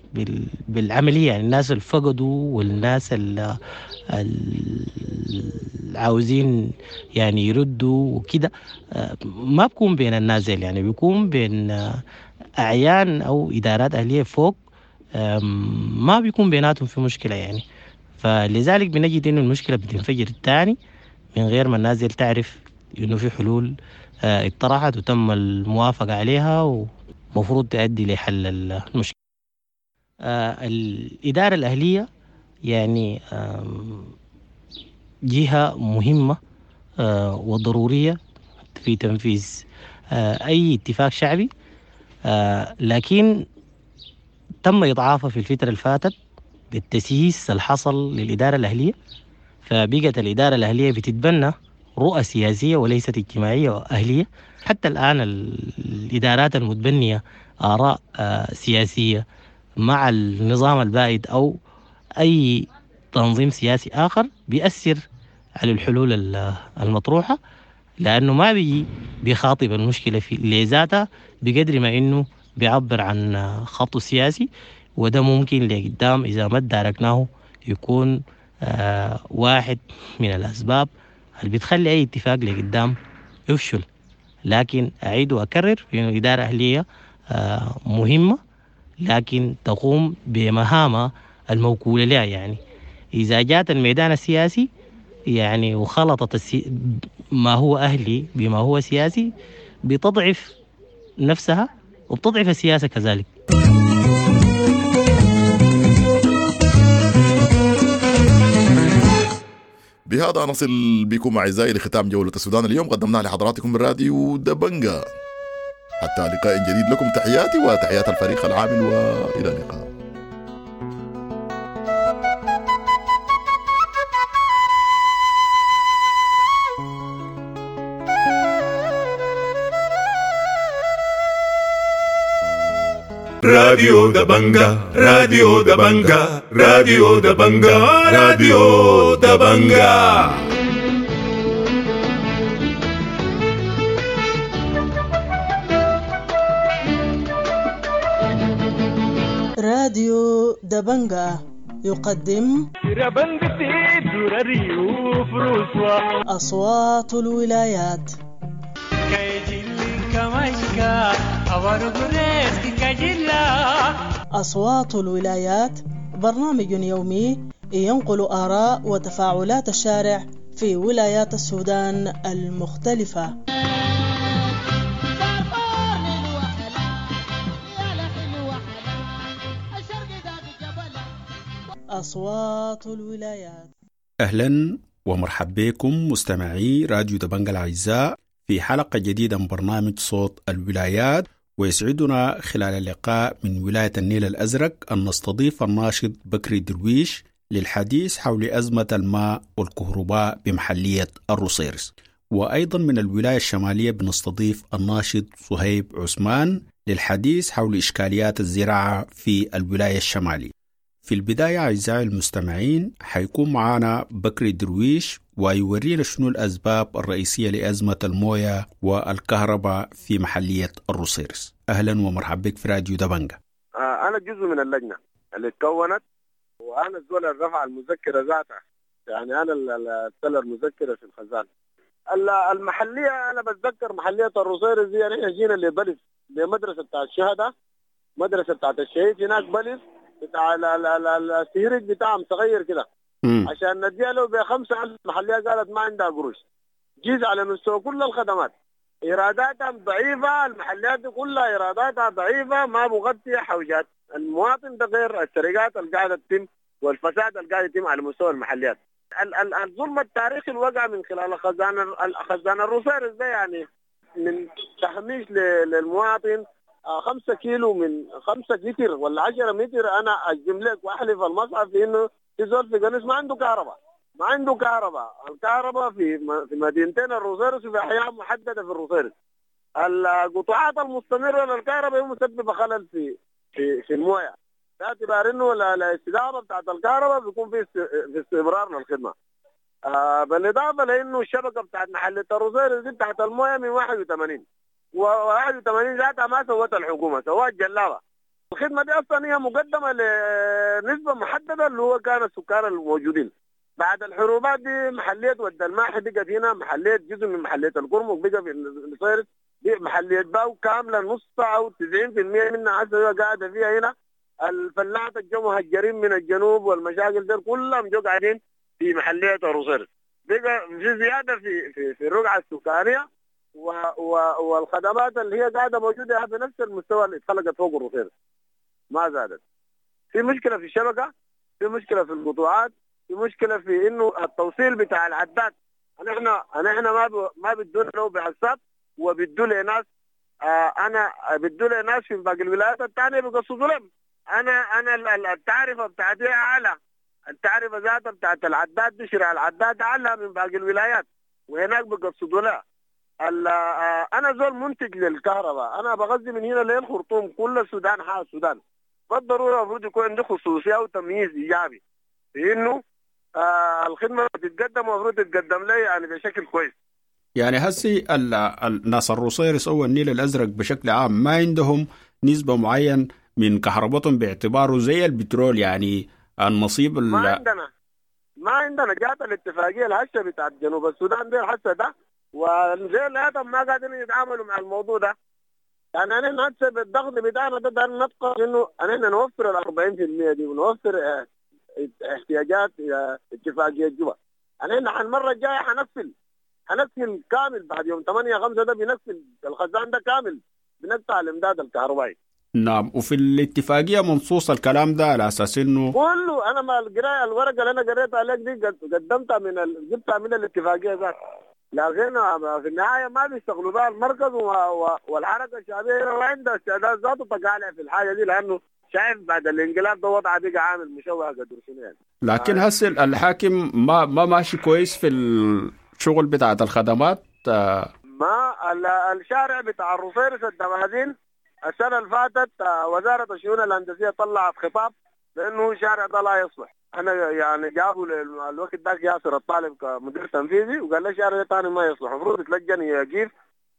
بالعملية، يعني الناس اللي فقدوا والناس اللي عاوزين يعني يردوا وكده، ما بكون بين الناس، يعني بيكون بين أعيان أو إدارات أهلية فوق، ما بيكون بيناتهم في مشكلة يعني. فلذلك بنجد إنه المشكلة بتنفجر الثاني من غير ما الناس تعرف إنه في حلول اتطرحت وتم الموافقة عليها و مفروض تؤدي لحل المشكلة. آه الإدارة الأهلية يعني آه جهة مهمة آه وضرورية في تنفيذ آه أي اتفاق شعبي، آه لكن تم إضعافها في الفترة اللي فاتت بالتسييس اللي حصل للإدارة الأهلية، فبقت الإدارة الأهلية بتتبنى رؤى سياسية وليست اجتماعية وأهلية. حتى الآن الإدارات المتبنية آراء سياسية مع النظام البائد أو أي تنظيم سياسي آخر بيأثر على الحلول المطروحة، لأنه ما بيجي بيخاطب المشكلة في لذاتها بقدر ما إنه بيعبر عن خطه السياسي، وده ممكن لقدام إذا ما تداركناه يكون واحد من الأسباب اللي بتخلي أي اتفاق لقدام يفشل. لكن أعيد وأكرر إنه إدارة أهلية مهمة، لكن تقوم بمهامها الموكولة لها. يعني إذا جات الميدان السياسي يعني وخلطت السي... ما هو أهلي بما هو سياسي بتضعف نفسها وبتضعف السياسة كذلك. بهذا نصل بكم أعزائي لختام جولة السودان اليوم، قدمناها لحضراتكم من راديو دبنجا. حتى لقاء جديد، لكم تحياتي وتحيات الفريق العامل، وإلى اللقاء. راديو دبنجا، راديو دبنجا، راديو دبنجا، راديو دبنجا. راديو دبنجا يقدم أصوات الولايات. أصوات الولايات برنامج يومي ينقل آراء وتفاعلات الشارع في ولايات السودان المختلفة. أصوات الولايات. أهلا ومرحبا بكم مستمعي راديو دبنجا الأعزاء في حلقة جديدة من برنامج صوت الولايات، ويسعدنا خلال اللقاء من ولاية النيل الأزرق أن نستضيف الناشط بكري درويش للحديث حول أزمة الماء والكهرباء بمحلية الروصيرص، وأيضا من الولاية الشمالية بنستضيف الناشط صهيب عثمان للحديث حول إشكاليات الزراعة في الولاية الشمالية. في البداية أعزائي المستمعين حيكون معنا بكري درويش ويورينا شنو الأسباب الرئيسية لأزمة الموية والكهرباء في محلية الروصيرص. أهلا ومرحبا بك في راديو دبنجا. آه أنا جزء من اللجنة اللي تكونت، وأنا الزول اللي رفع المذكرة ذاتها، يعني أنا اللي استلم المذكرة في الخزان المحلية. أنا بتذكر محلية الروصيرص دي، يعني جينا لبلس لمدرسة بتاع الشهداء، مدرسة بتاعت الشهيد هناك، بلس بتاع السهرج بتاعهم صغير كده عشان نديها له بخمسة ألف. محلية قالت ما عندها قروش. جيز على مستوى كل الخدمات إيراداتها ضعيفة، المحليات دي كلها إيراداتها ضعيفة، ما مغطية حوجات المواطن، ده غير السرقات اللي قاعدة تتم والفساد اللي قاعد يتم على مستوى المحليات. ال ال الظلم التاريخي اللي وقع من خلال خزان خزان الروصيرص ده، يعني من تهميش للمواطن. خمسة كيلو من خمسة متر ولا عشرة متر، أنا أجزم لك وأحلف المصحف في إنه في زول في قنيس ما عنده كهرباء، ما عنده كهرباء. الكهرباء في في مدينتين الروصيرص وفي أحياء محددة في الروصيرص. القطاعات المستمرة للكهرباء هي مسببة خلل في في في المويه، باعتبار إنه الاستدامة بتاعت الكهرباء بيكون في في استمرار للخدمة. آه بالإضافة لإنه الشبكة بتاعت محلية الروصيرص دي بتاعت المويه من واحد وثمانين وواحد وثمانين ذاتها ما سوتها الحكومة، سوتها الجلابة. الخدمة دي أصلا هي مقدمة لنسبة محددة اللي هو كان السكان الموجودين. بعد الحروبات دي محلية ود الماحي بقت هنا، محلية جزء من محلية القرمق بقى في الصيرص، دي محلية باو كاملة نص أو تسعين في المية منها عسى قاعدة فيها هنا. الفلاحة الجو مهجرين من الجنوب والمشاكل دي كلهم جو قاعدين في محلية الروصيرص. بقى في زيادة في في, في الرقعة السكانية و و والخدمات اللي هي قاعدة موجودة بنفس المستوى اللي اتخلقت فوق الروصيرص ما زادت. في مشكلة في الشبكة، في مشكلة في القطاعات، في مشكلة في انه التوصيل بتاع العداد. نحن نحن ما ب... ما بدونا له بعصاب وبدوا لناس، آه انا بدوا لناس في باقي الولايات الثانية بيقصدوا لهم. انا انا التعرفه بتاعتي اعلى، التعرفه ذاتها بتاعت العداد دي شراء العداد اعلى من باقي الولايات، وهناك بيقصدوا لها. انا زول منتج للكهرباء، انا بغذي من هنا للخرطوم، كل السودان حال السودان. بالضرورة المفروض يكون عندي خصوصية وتمييز ايجابي في انه آه الخدمة بتتقدم، المفروض تتقدم لي يعني بشكل كويس. يعني هسي الناس الروصيرص او النيل الازرق بشكل عام ما عندهم نسبه معين من كهربتهم باعتباره زي البترول، يعني النصيب ما عندنا ما عندنا. جات الاتفاقية الهشه بتاعت جنوب السودان دي الهشه ده، وزي الهاتف ما قادرين يتعاملوا مع الموضوع ده. يعني نحن هسه بالضغط بتاعنا ده نبقى انه نحن نوفر ال أربعين بالمية دي ونوفر احتياجات اتفاقية جوبا. نحن المرة الجاية حنقفل حنقفل كامل بعد يوم ثمانية خمسة ده، بنقفل الخزان ده كامل، بنقطع الامداد الكهربائي. نعم، وفي الاتفاقية منصوص الكلام ده على اساس انه كله. انا ما القراية الورقة اللي انا قريتها عليك دي قدمتها من ال... جبتها من الاتفاقية ذاتها. لكن في النهاية ما بيشتغلوا بها المركز و... و... والحركة الشعبية ما عندها استعداد ذاته تقالع في الحاجة دي، لانه شايف بعد الانقلاب ده وضعه بقى عامل مشوه قدر شنو يعني. لكن هسه الحاكم ما ما ماشي كويس في الشغل بتاعت الخدمات. ما الشارع بتاع الروصيرص الدمازين السنة اللي فاتت وزارة الشؤون الهندسية طلعت خطاب بانه الشارع ده لا يصلح. انا يعني جابوا الوقت ذاك ياسر الطالب كمدير تنفيذي وقال لي الشارع ده ثاني ما يصلح، المفروض تلجن يقيف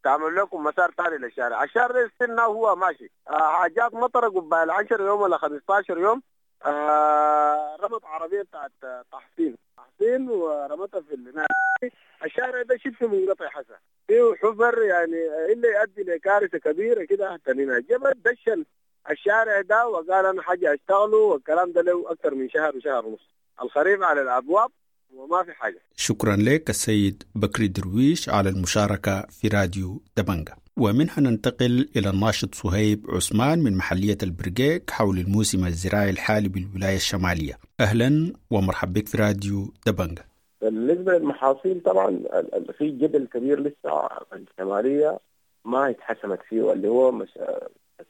تعمل لكم مسار ثاني للشارع. الشارع ده استنى وهو ماشي. حاجات مطره قبال عشرة يوم ولا خمسة عشر يوم، آه رمت عربية بتاعت تحسين تحسين ورمتها في النادي. الشارع ده شبه منقطع حسن فيه حفر، يعني اللي يؤدي لكارثه كبيرة كده حتى هنا. جبل دشن الشارع ده وقال انا حاجة اشتغله، والكلام ده له اكثر من شهر وشهر ونص. الخريف على الابواب وما في حاجة. شكرا لك السيد بكري درويش على المشاركة في راديو دبنجة. ومنها ننتقل إلى الناشط صهيب عثمان من محلية البرقيق حول الموسم الزراعي الحالي بالولاية الشمالية. أهلا ومرحبا بك في راديو دبنجة. بالنسبة للمحاصيل طبعا في جدل كبير لسه الشمالية ما اتحسمت فيه، اللي هو مش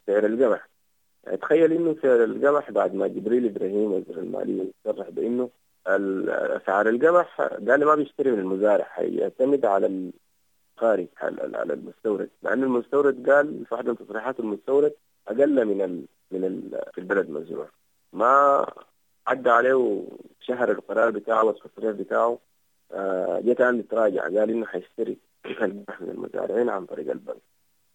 سعر القمح. تخيل انه سعر القمح بعد ما جبريل ابراهيم وزير المالية صرح بانه اسعار القمح قال ما بيشتري من المزارع، حيعتمد على الخارج على المستورد، مع انه المستورد قال في واحدة من تصريحات المستورد اقل من ال من ال في البلد مزروع. ما عدى عليه شهر القرار بتاعه والتصريح بتاعه، جاء كان يتراجع قال انه حيشتري القمح من المزارعين عن طريق البنك.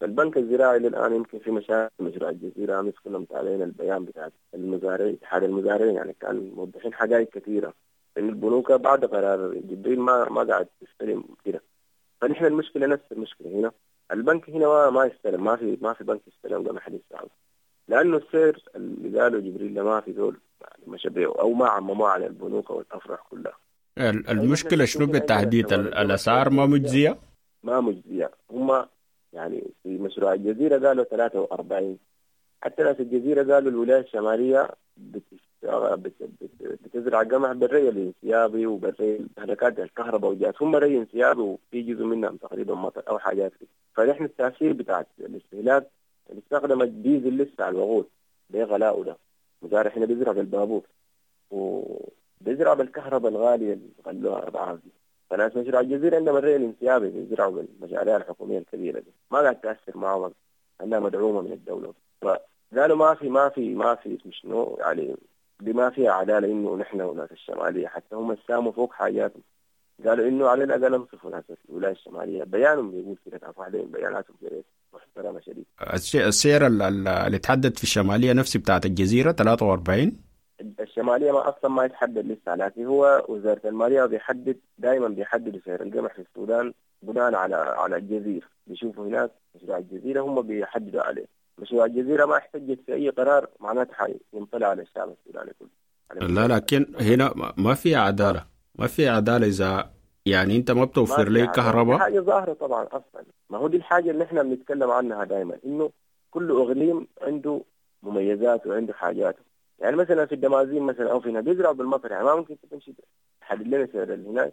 فالبنك الزراعي للآن يمكن في مشاكل مشروع الجزيرة، أمس كنا متابعين البيان بتاع المزارعين اتحاد المزارعين، يعني كان موضحين حقائق كثيرة إن البنوك بعد قرار جبريل ما ما قاعد تستلم كده. فنحن المشكلة نفس المشكلة هنا، البنك هنا ما ما يستلم، ما في ما في بنك يستلم قمح لسه، لأنه السعر اللي قاله جبريل ما في ذول يعني مشى بيه أو ما عمموه على البنوك والأفرع كلها. المشكلة شنو بالتحديد؟ الأسعار ما مجزية؟ ما مجزية، هم يعني في مشروع الجزيرة قالوا ثلاثة وأربعين، حتى ناس الجزيرة قالوا الولاية الشمالية بتزرع قمح بالري الانسيابي وبالري حركات الكهرباء وجات، هم ري انسيابي وفي جزء منهم تقريبا مطر أو حاجات كده. فنحن التأثير بتاع الاستهلاك استخدم الديزل لسه على الوقود بغلاءه ده، مزارع هنا بيزرع بالبابور وبيزرع بالكهرباء الغالية اللي غلوها أضعاف دي. فناس مشروع الجزيرة عندهم الري الانسيابي بيزرعوا بالمشاريع الحكومية الكبيرة دي، ما قاعد تأثر معهم لأنها مدعومة من الدولة. فقالوا ما في ما في ما في شنو يعني دي ما فيها عدالة إنه نحن وناس الشمالية حتى هم ساموا فوق حاجاتهم، قالوا إنه على الأقل انصفوا ناس الولاية الشمالية. بيانهم بيقول كده، كان واحدة من بياناتهم محترمة شديد. السعر اللي تحدد في الشمالية نفسه بتاعت الجزيرة ثلاثة وأربعين. الشمالية ما أصلا ما يتحدد لسه، لكن هو وزارة المالية بيحدد دائما، بيحدد سعر القمح في السودان بناء على على الجزيرة، بيشوفوا هناك مشروع الجزيرة هم بيحددوا عليه. مشروع الجزيرة ما احتجت في أي قرار معناته حينطلع على الشعب السوداني كله. لا لكن هنا ما في عدالة، ما في عدالة إذا يعني أنت ما بتوفر لي كهرباء. حاجة ظاهرة طبعا أصلا، ما هو دي الحاجة اللي إحنا بنتكلم عنها دائما، إنه كل إقليم عنده مميزات وعنده حاجاته. يعني مثلا في الدمازين مثلا او في هنا بيزرعوا بالمطر، يعني ما ممكن تمشي تحدد لنا سعر هناك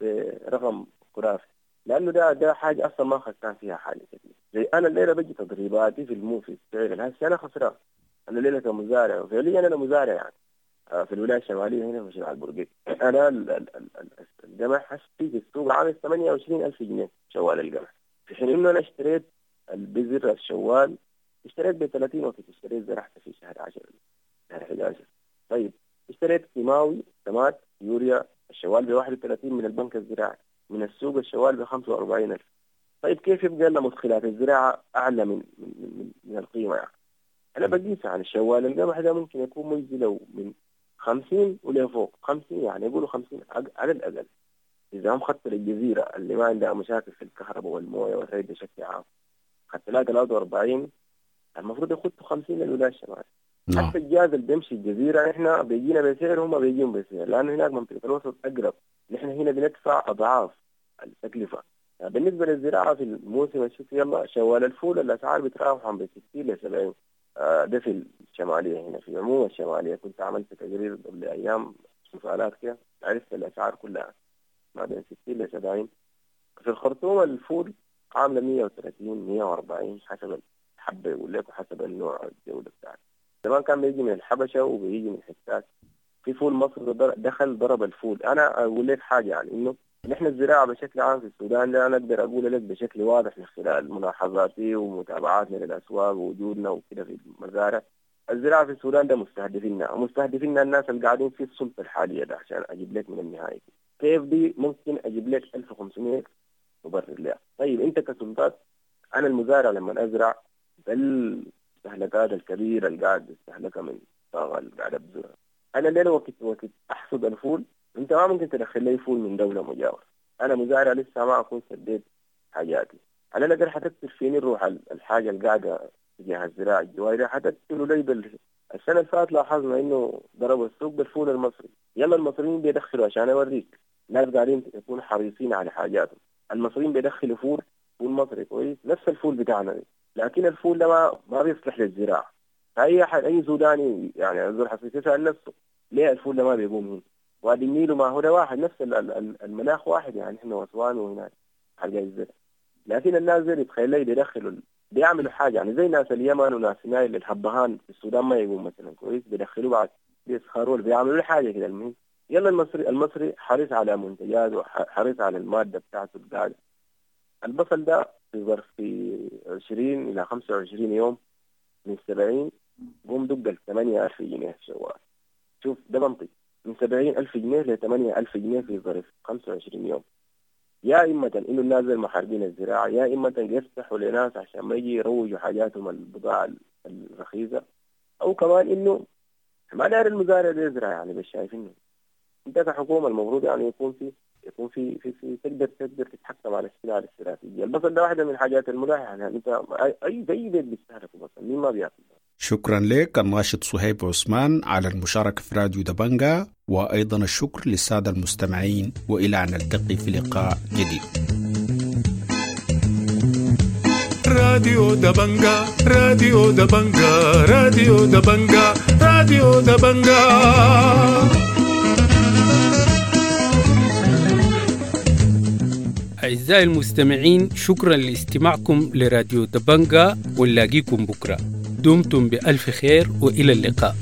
برقم خرافي، لانه ده ده حاجة اصلا ما خسران فيها حاجة كثير. زي انا الليلة بجي تضريباتي في المو في السعر هسه انا خسران، انا الليلة كمزارع، وفعليا انا مزارع يعني في الولاية الشمالية هنا في مشروع البرقيق. انا القمح هسه في السوق عامل ثمانية وعشرين ألف جنيه شوال القمح، في حين انه انا اشتريت البذر الشوال اشتريت ب ثلاثين وقت اشتريت زرعت في شهر عشرة أحد عشر. طيب اشتريت كيماوي سماد يوريا الشوال ب واحد وثلاثين من البنك الزراعي، من السوق الشوال ب خمسة وأربعين ألف. طيب كيف يبقى لنا مدخلات الزراعة أعلى من من من, من القيمة يعني؟ أنا بقيس عن الشوال القمح ده ممكن يكون مجزي لو من خمسين ولفوق، خمسين يعني يقولوا خمسين على الأقل. إذا هم خدت للجزيرة اللي ما عندها مشاكل في الكهرباء والموية والري بشكل عام خدت لها ثلاثة وأربعين، المفروض يخدوا خمسين للولاية الشمالية. نعم. حتى الجاز اللي بيمشي الجزيرة احنا بيجينا بسعر هم بيجيهم بسعر، لأنه هناك منطقة الوسط أقرب، نحن هنا بندفع أضعاف التكلفة. يعني بالنسبة للزراعة في الموسم الشتوي يلا شوال الفول الأسعار بتراوح عن ستين ل سبعين، آه ده في الشمالية. هنا في عموم الشمالية كنت عملت تقرير قبل أيام سؤالات كده، عرفت الأسعار كلها ما بين ستين ل سبعين. في الخرطوم الفول عاملة مية وثلاثين مية وأربعين حسب الحبة يقول لك وحسب النوع الجودة بتاعته. زمان كان بيجي من الحبشة وبيجي من حتات، في فول مصر دخل ضرب الفول. أنا أقول لك حاجة يعني إنه نحن الزراعة بشكل عام في السودان ده أنا أقدر أقول لك بشكل واضح من خلال ملاحظاتي ومتابعاتنا للأسواق ووجودنا وكده في المزارع، الزراعة في السودان ده مستهدفيننا، ومستهدفيننا الناس اللي قاعدين في السلطة الحالية ده. عشان أجيب لك من النهاية كيف دي ممكن أجيب لك ألف وخمسمية مبرر لها. طيب أنت كسلطات، أنا المزارع لما أزرع بالمستهلكات الكبيرة اللي قاعد بستهلكها من الطاقة اللي قاعد أبذرها، أنا الليلة وقت وقت أحصد الفول، أنت ما ممكن تدخل لي فول من دولة مجاورة. أنا مزارع لسه ما أكون سديت حاجاتي، على الأقل حتكتر فيني الروح الحاجة اللي قاعدة تجاه الزراعة الجواري حتكتلوا لي بال... السنة اللي فاتت لاحظنا إنه ضربوا السوق بالفول المصري. يلا المصريين بيدخلوا، عشان أوريك ناس قاعدين يكونوا حريصين على حاجاتهم. المصريين بيدخلوا فول فول مصري كويس، نفس الفول بتاعنا، لكن الفول ده ما ما بيصلح للزراعة. فأي أحد أي سوداني يعني زول حسيس يسأل نفسه ليه الفول ده ما بيقوم هنا؟ وادي النيل وما هو ده واحد، نفس المناخ واحد يعني، احنا واسوان وهناك حاجة الزرع. لكن الناس زي يتخيل لي بيدخلوا بيعملوا حاجة يعني زي ناس اليمن وناس نايل الحبهان في السودان ما يقوم مثلا كويس، بيدخلوا بعد بيسخروا بيعملوا حاجة كده. المهم يلا المصري المصري حريص على منتجاته وحريص على المادة بتاعته القاعدة. البصل ده في ظرف في عشرين إلى خمسة وعشرين يوم من سبعين قوم دق ال ثمانية ألف جنيه في شوال. شوف ده منطق، من سبعين ألف جنيه ل ثمانية ألف جنيه في ظرف خمسة وعشرين يوم. يا إما إنه الناس المحاربين الزراعة، يا إما يفتحوا لناس عشان ما يجي يروجوا حاجاتهم البضاعة الرخيصة، أو كمان إنه ما داير المزارع ده يزرع يعني. بس شايفينه أنت كحكومة المفروض يعني يكون في يكون في في, في تقدر تقدر تتحكم على السلع الاستراتيجية. البصل ده واحدة من الحاجات الملاحة يعني، أنت أي زي بيت بيستهلك بصل، مين ما بياكل. شكرا لك الناشط صهيب عثمان على المشاركة في راديو دبنجا، وأيضا الشكر للسادة المستمعين، وإلى أن نلتقي في لقاء جديد. راديو دبنجا، راديو دبنجا، راديو دبنجا، راديو دبنجا. أعزائي المستمعين، شكرا لاستماعكم لراديو دبنجا، ونلاقيكم بكرة. دمتم بألف خير وإلى اللقاء.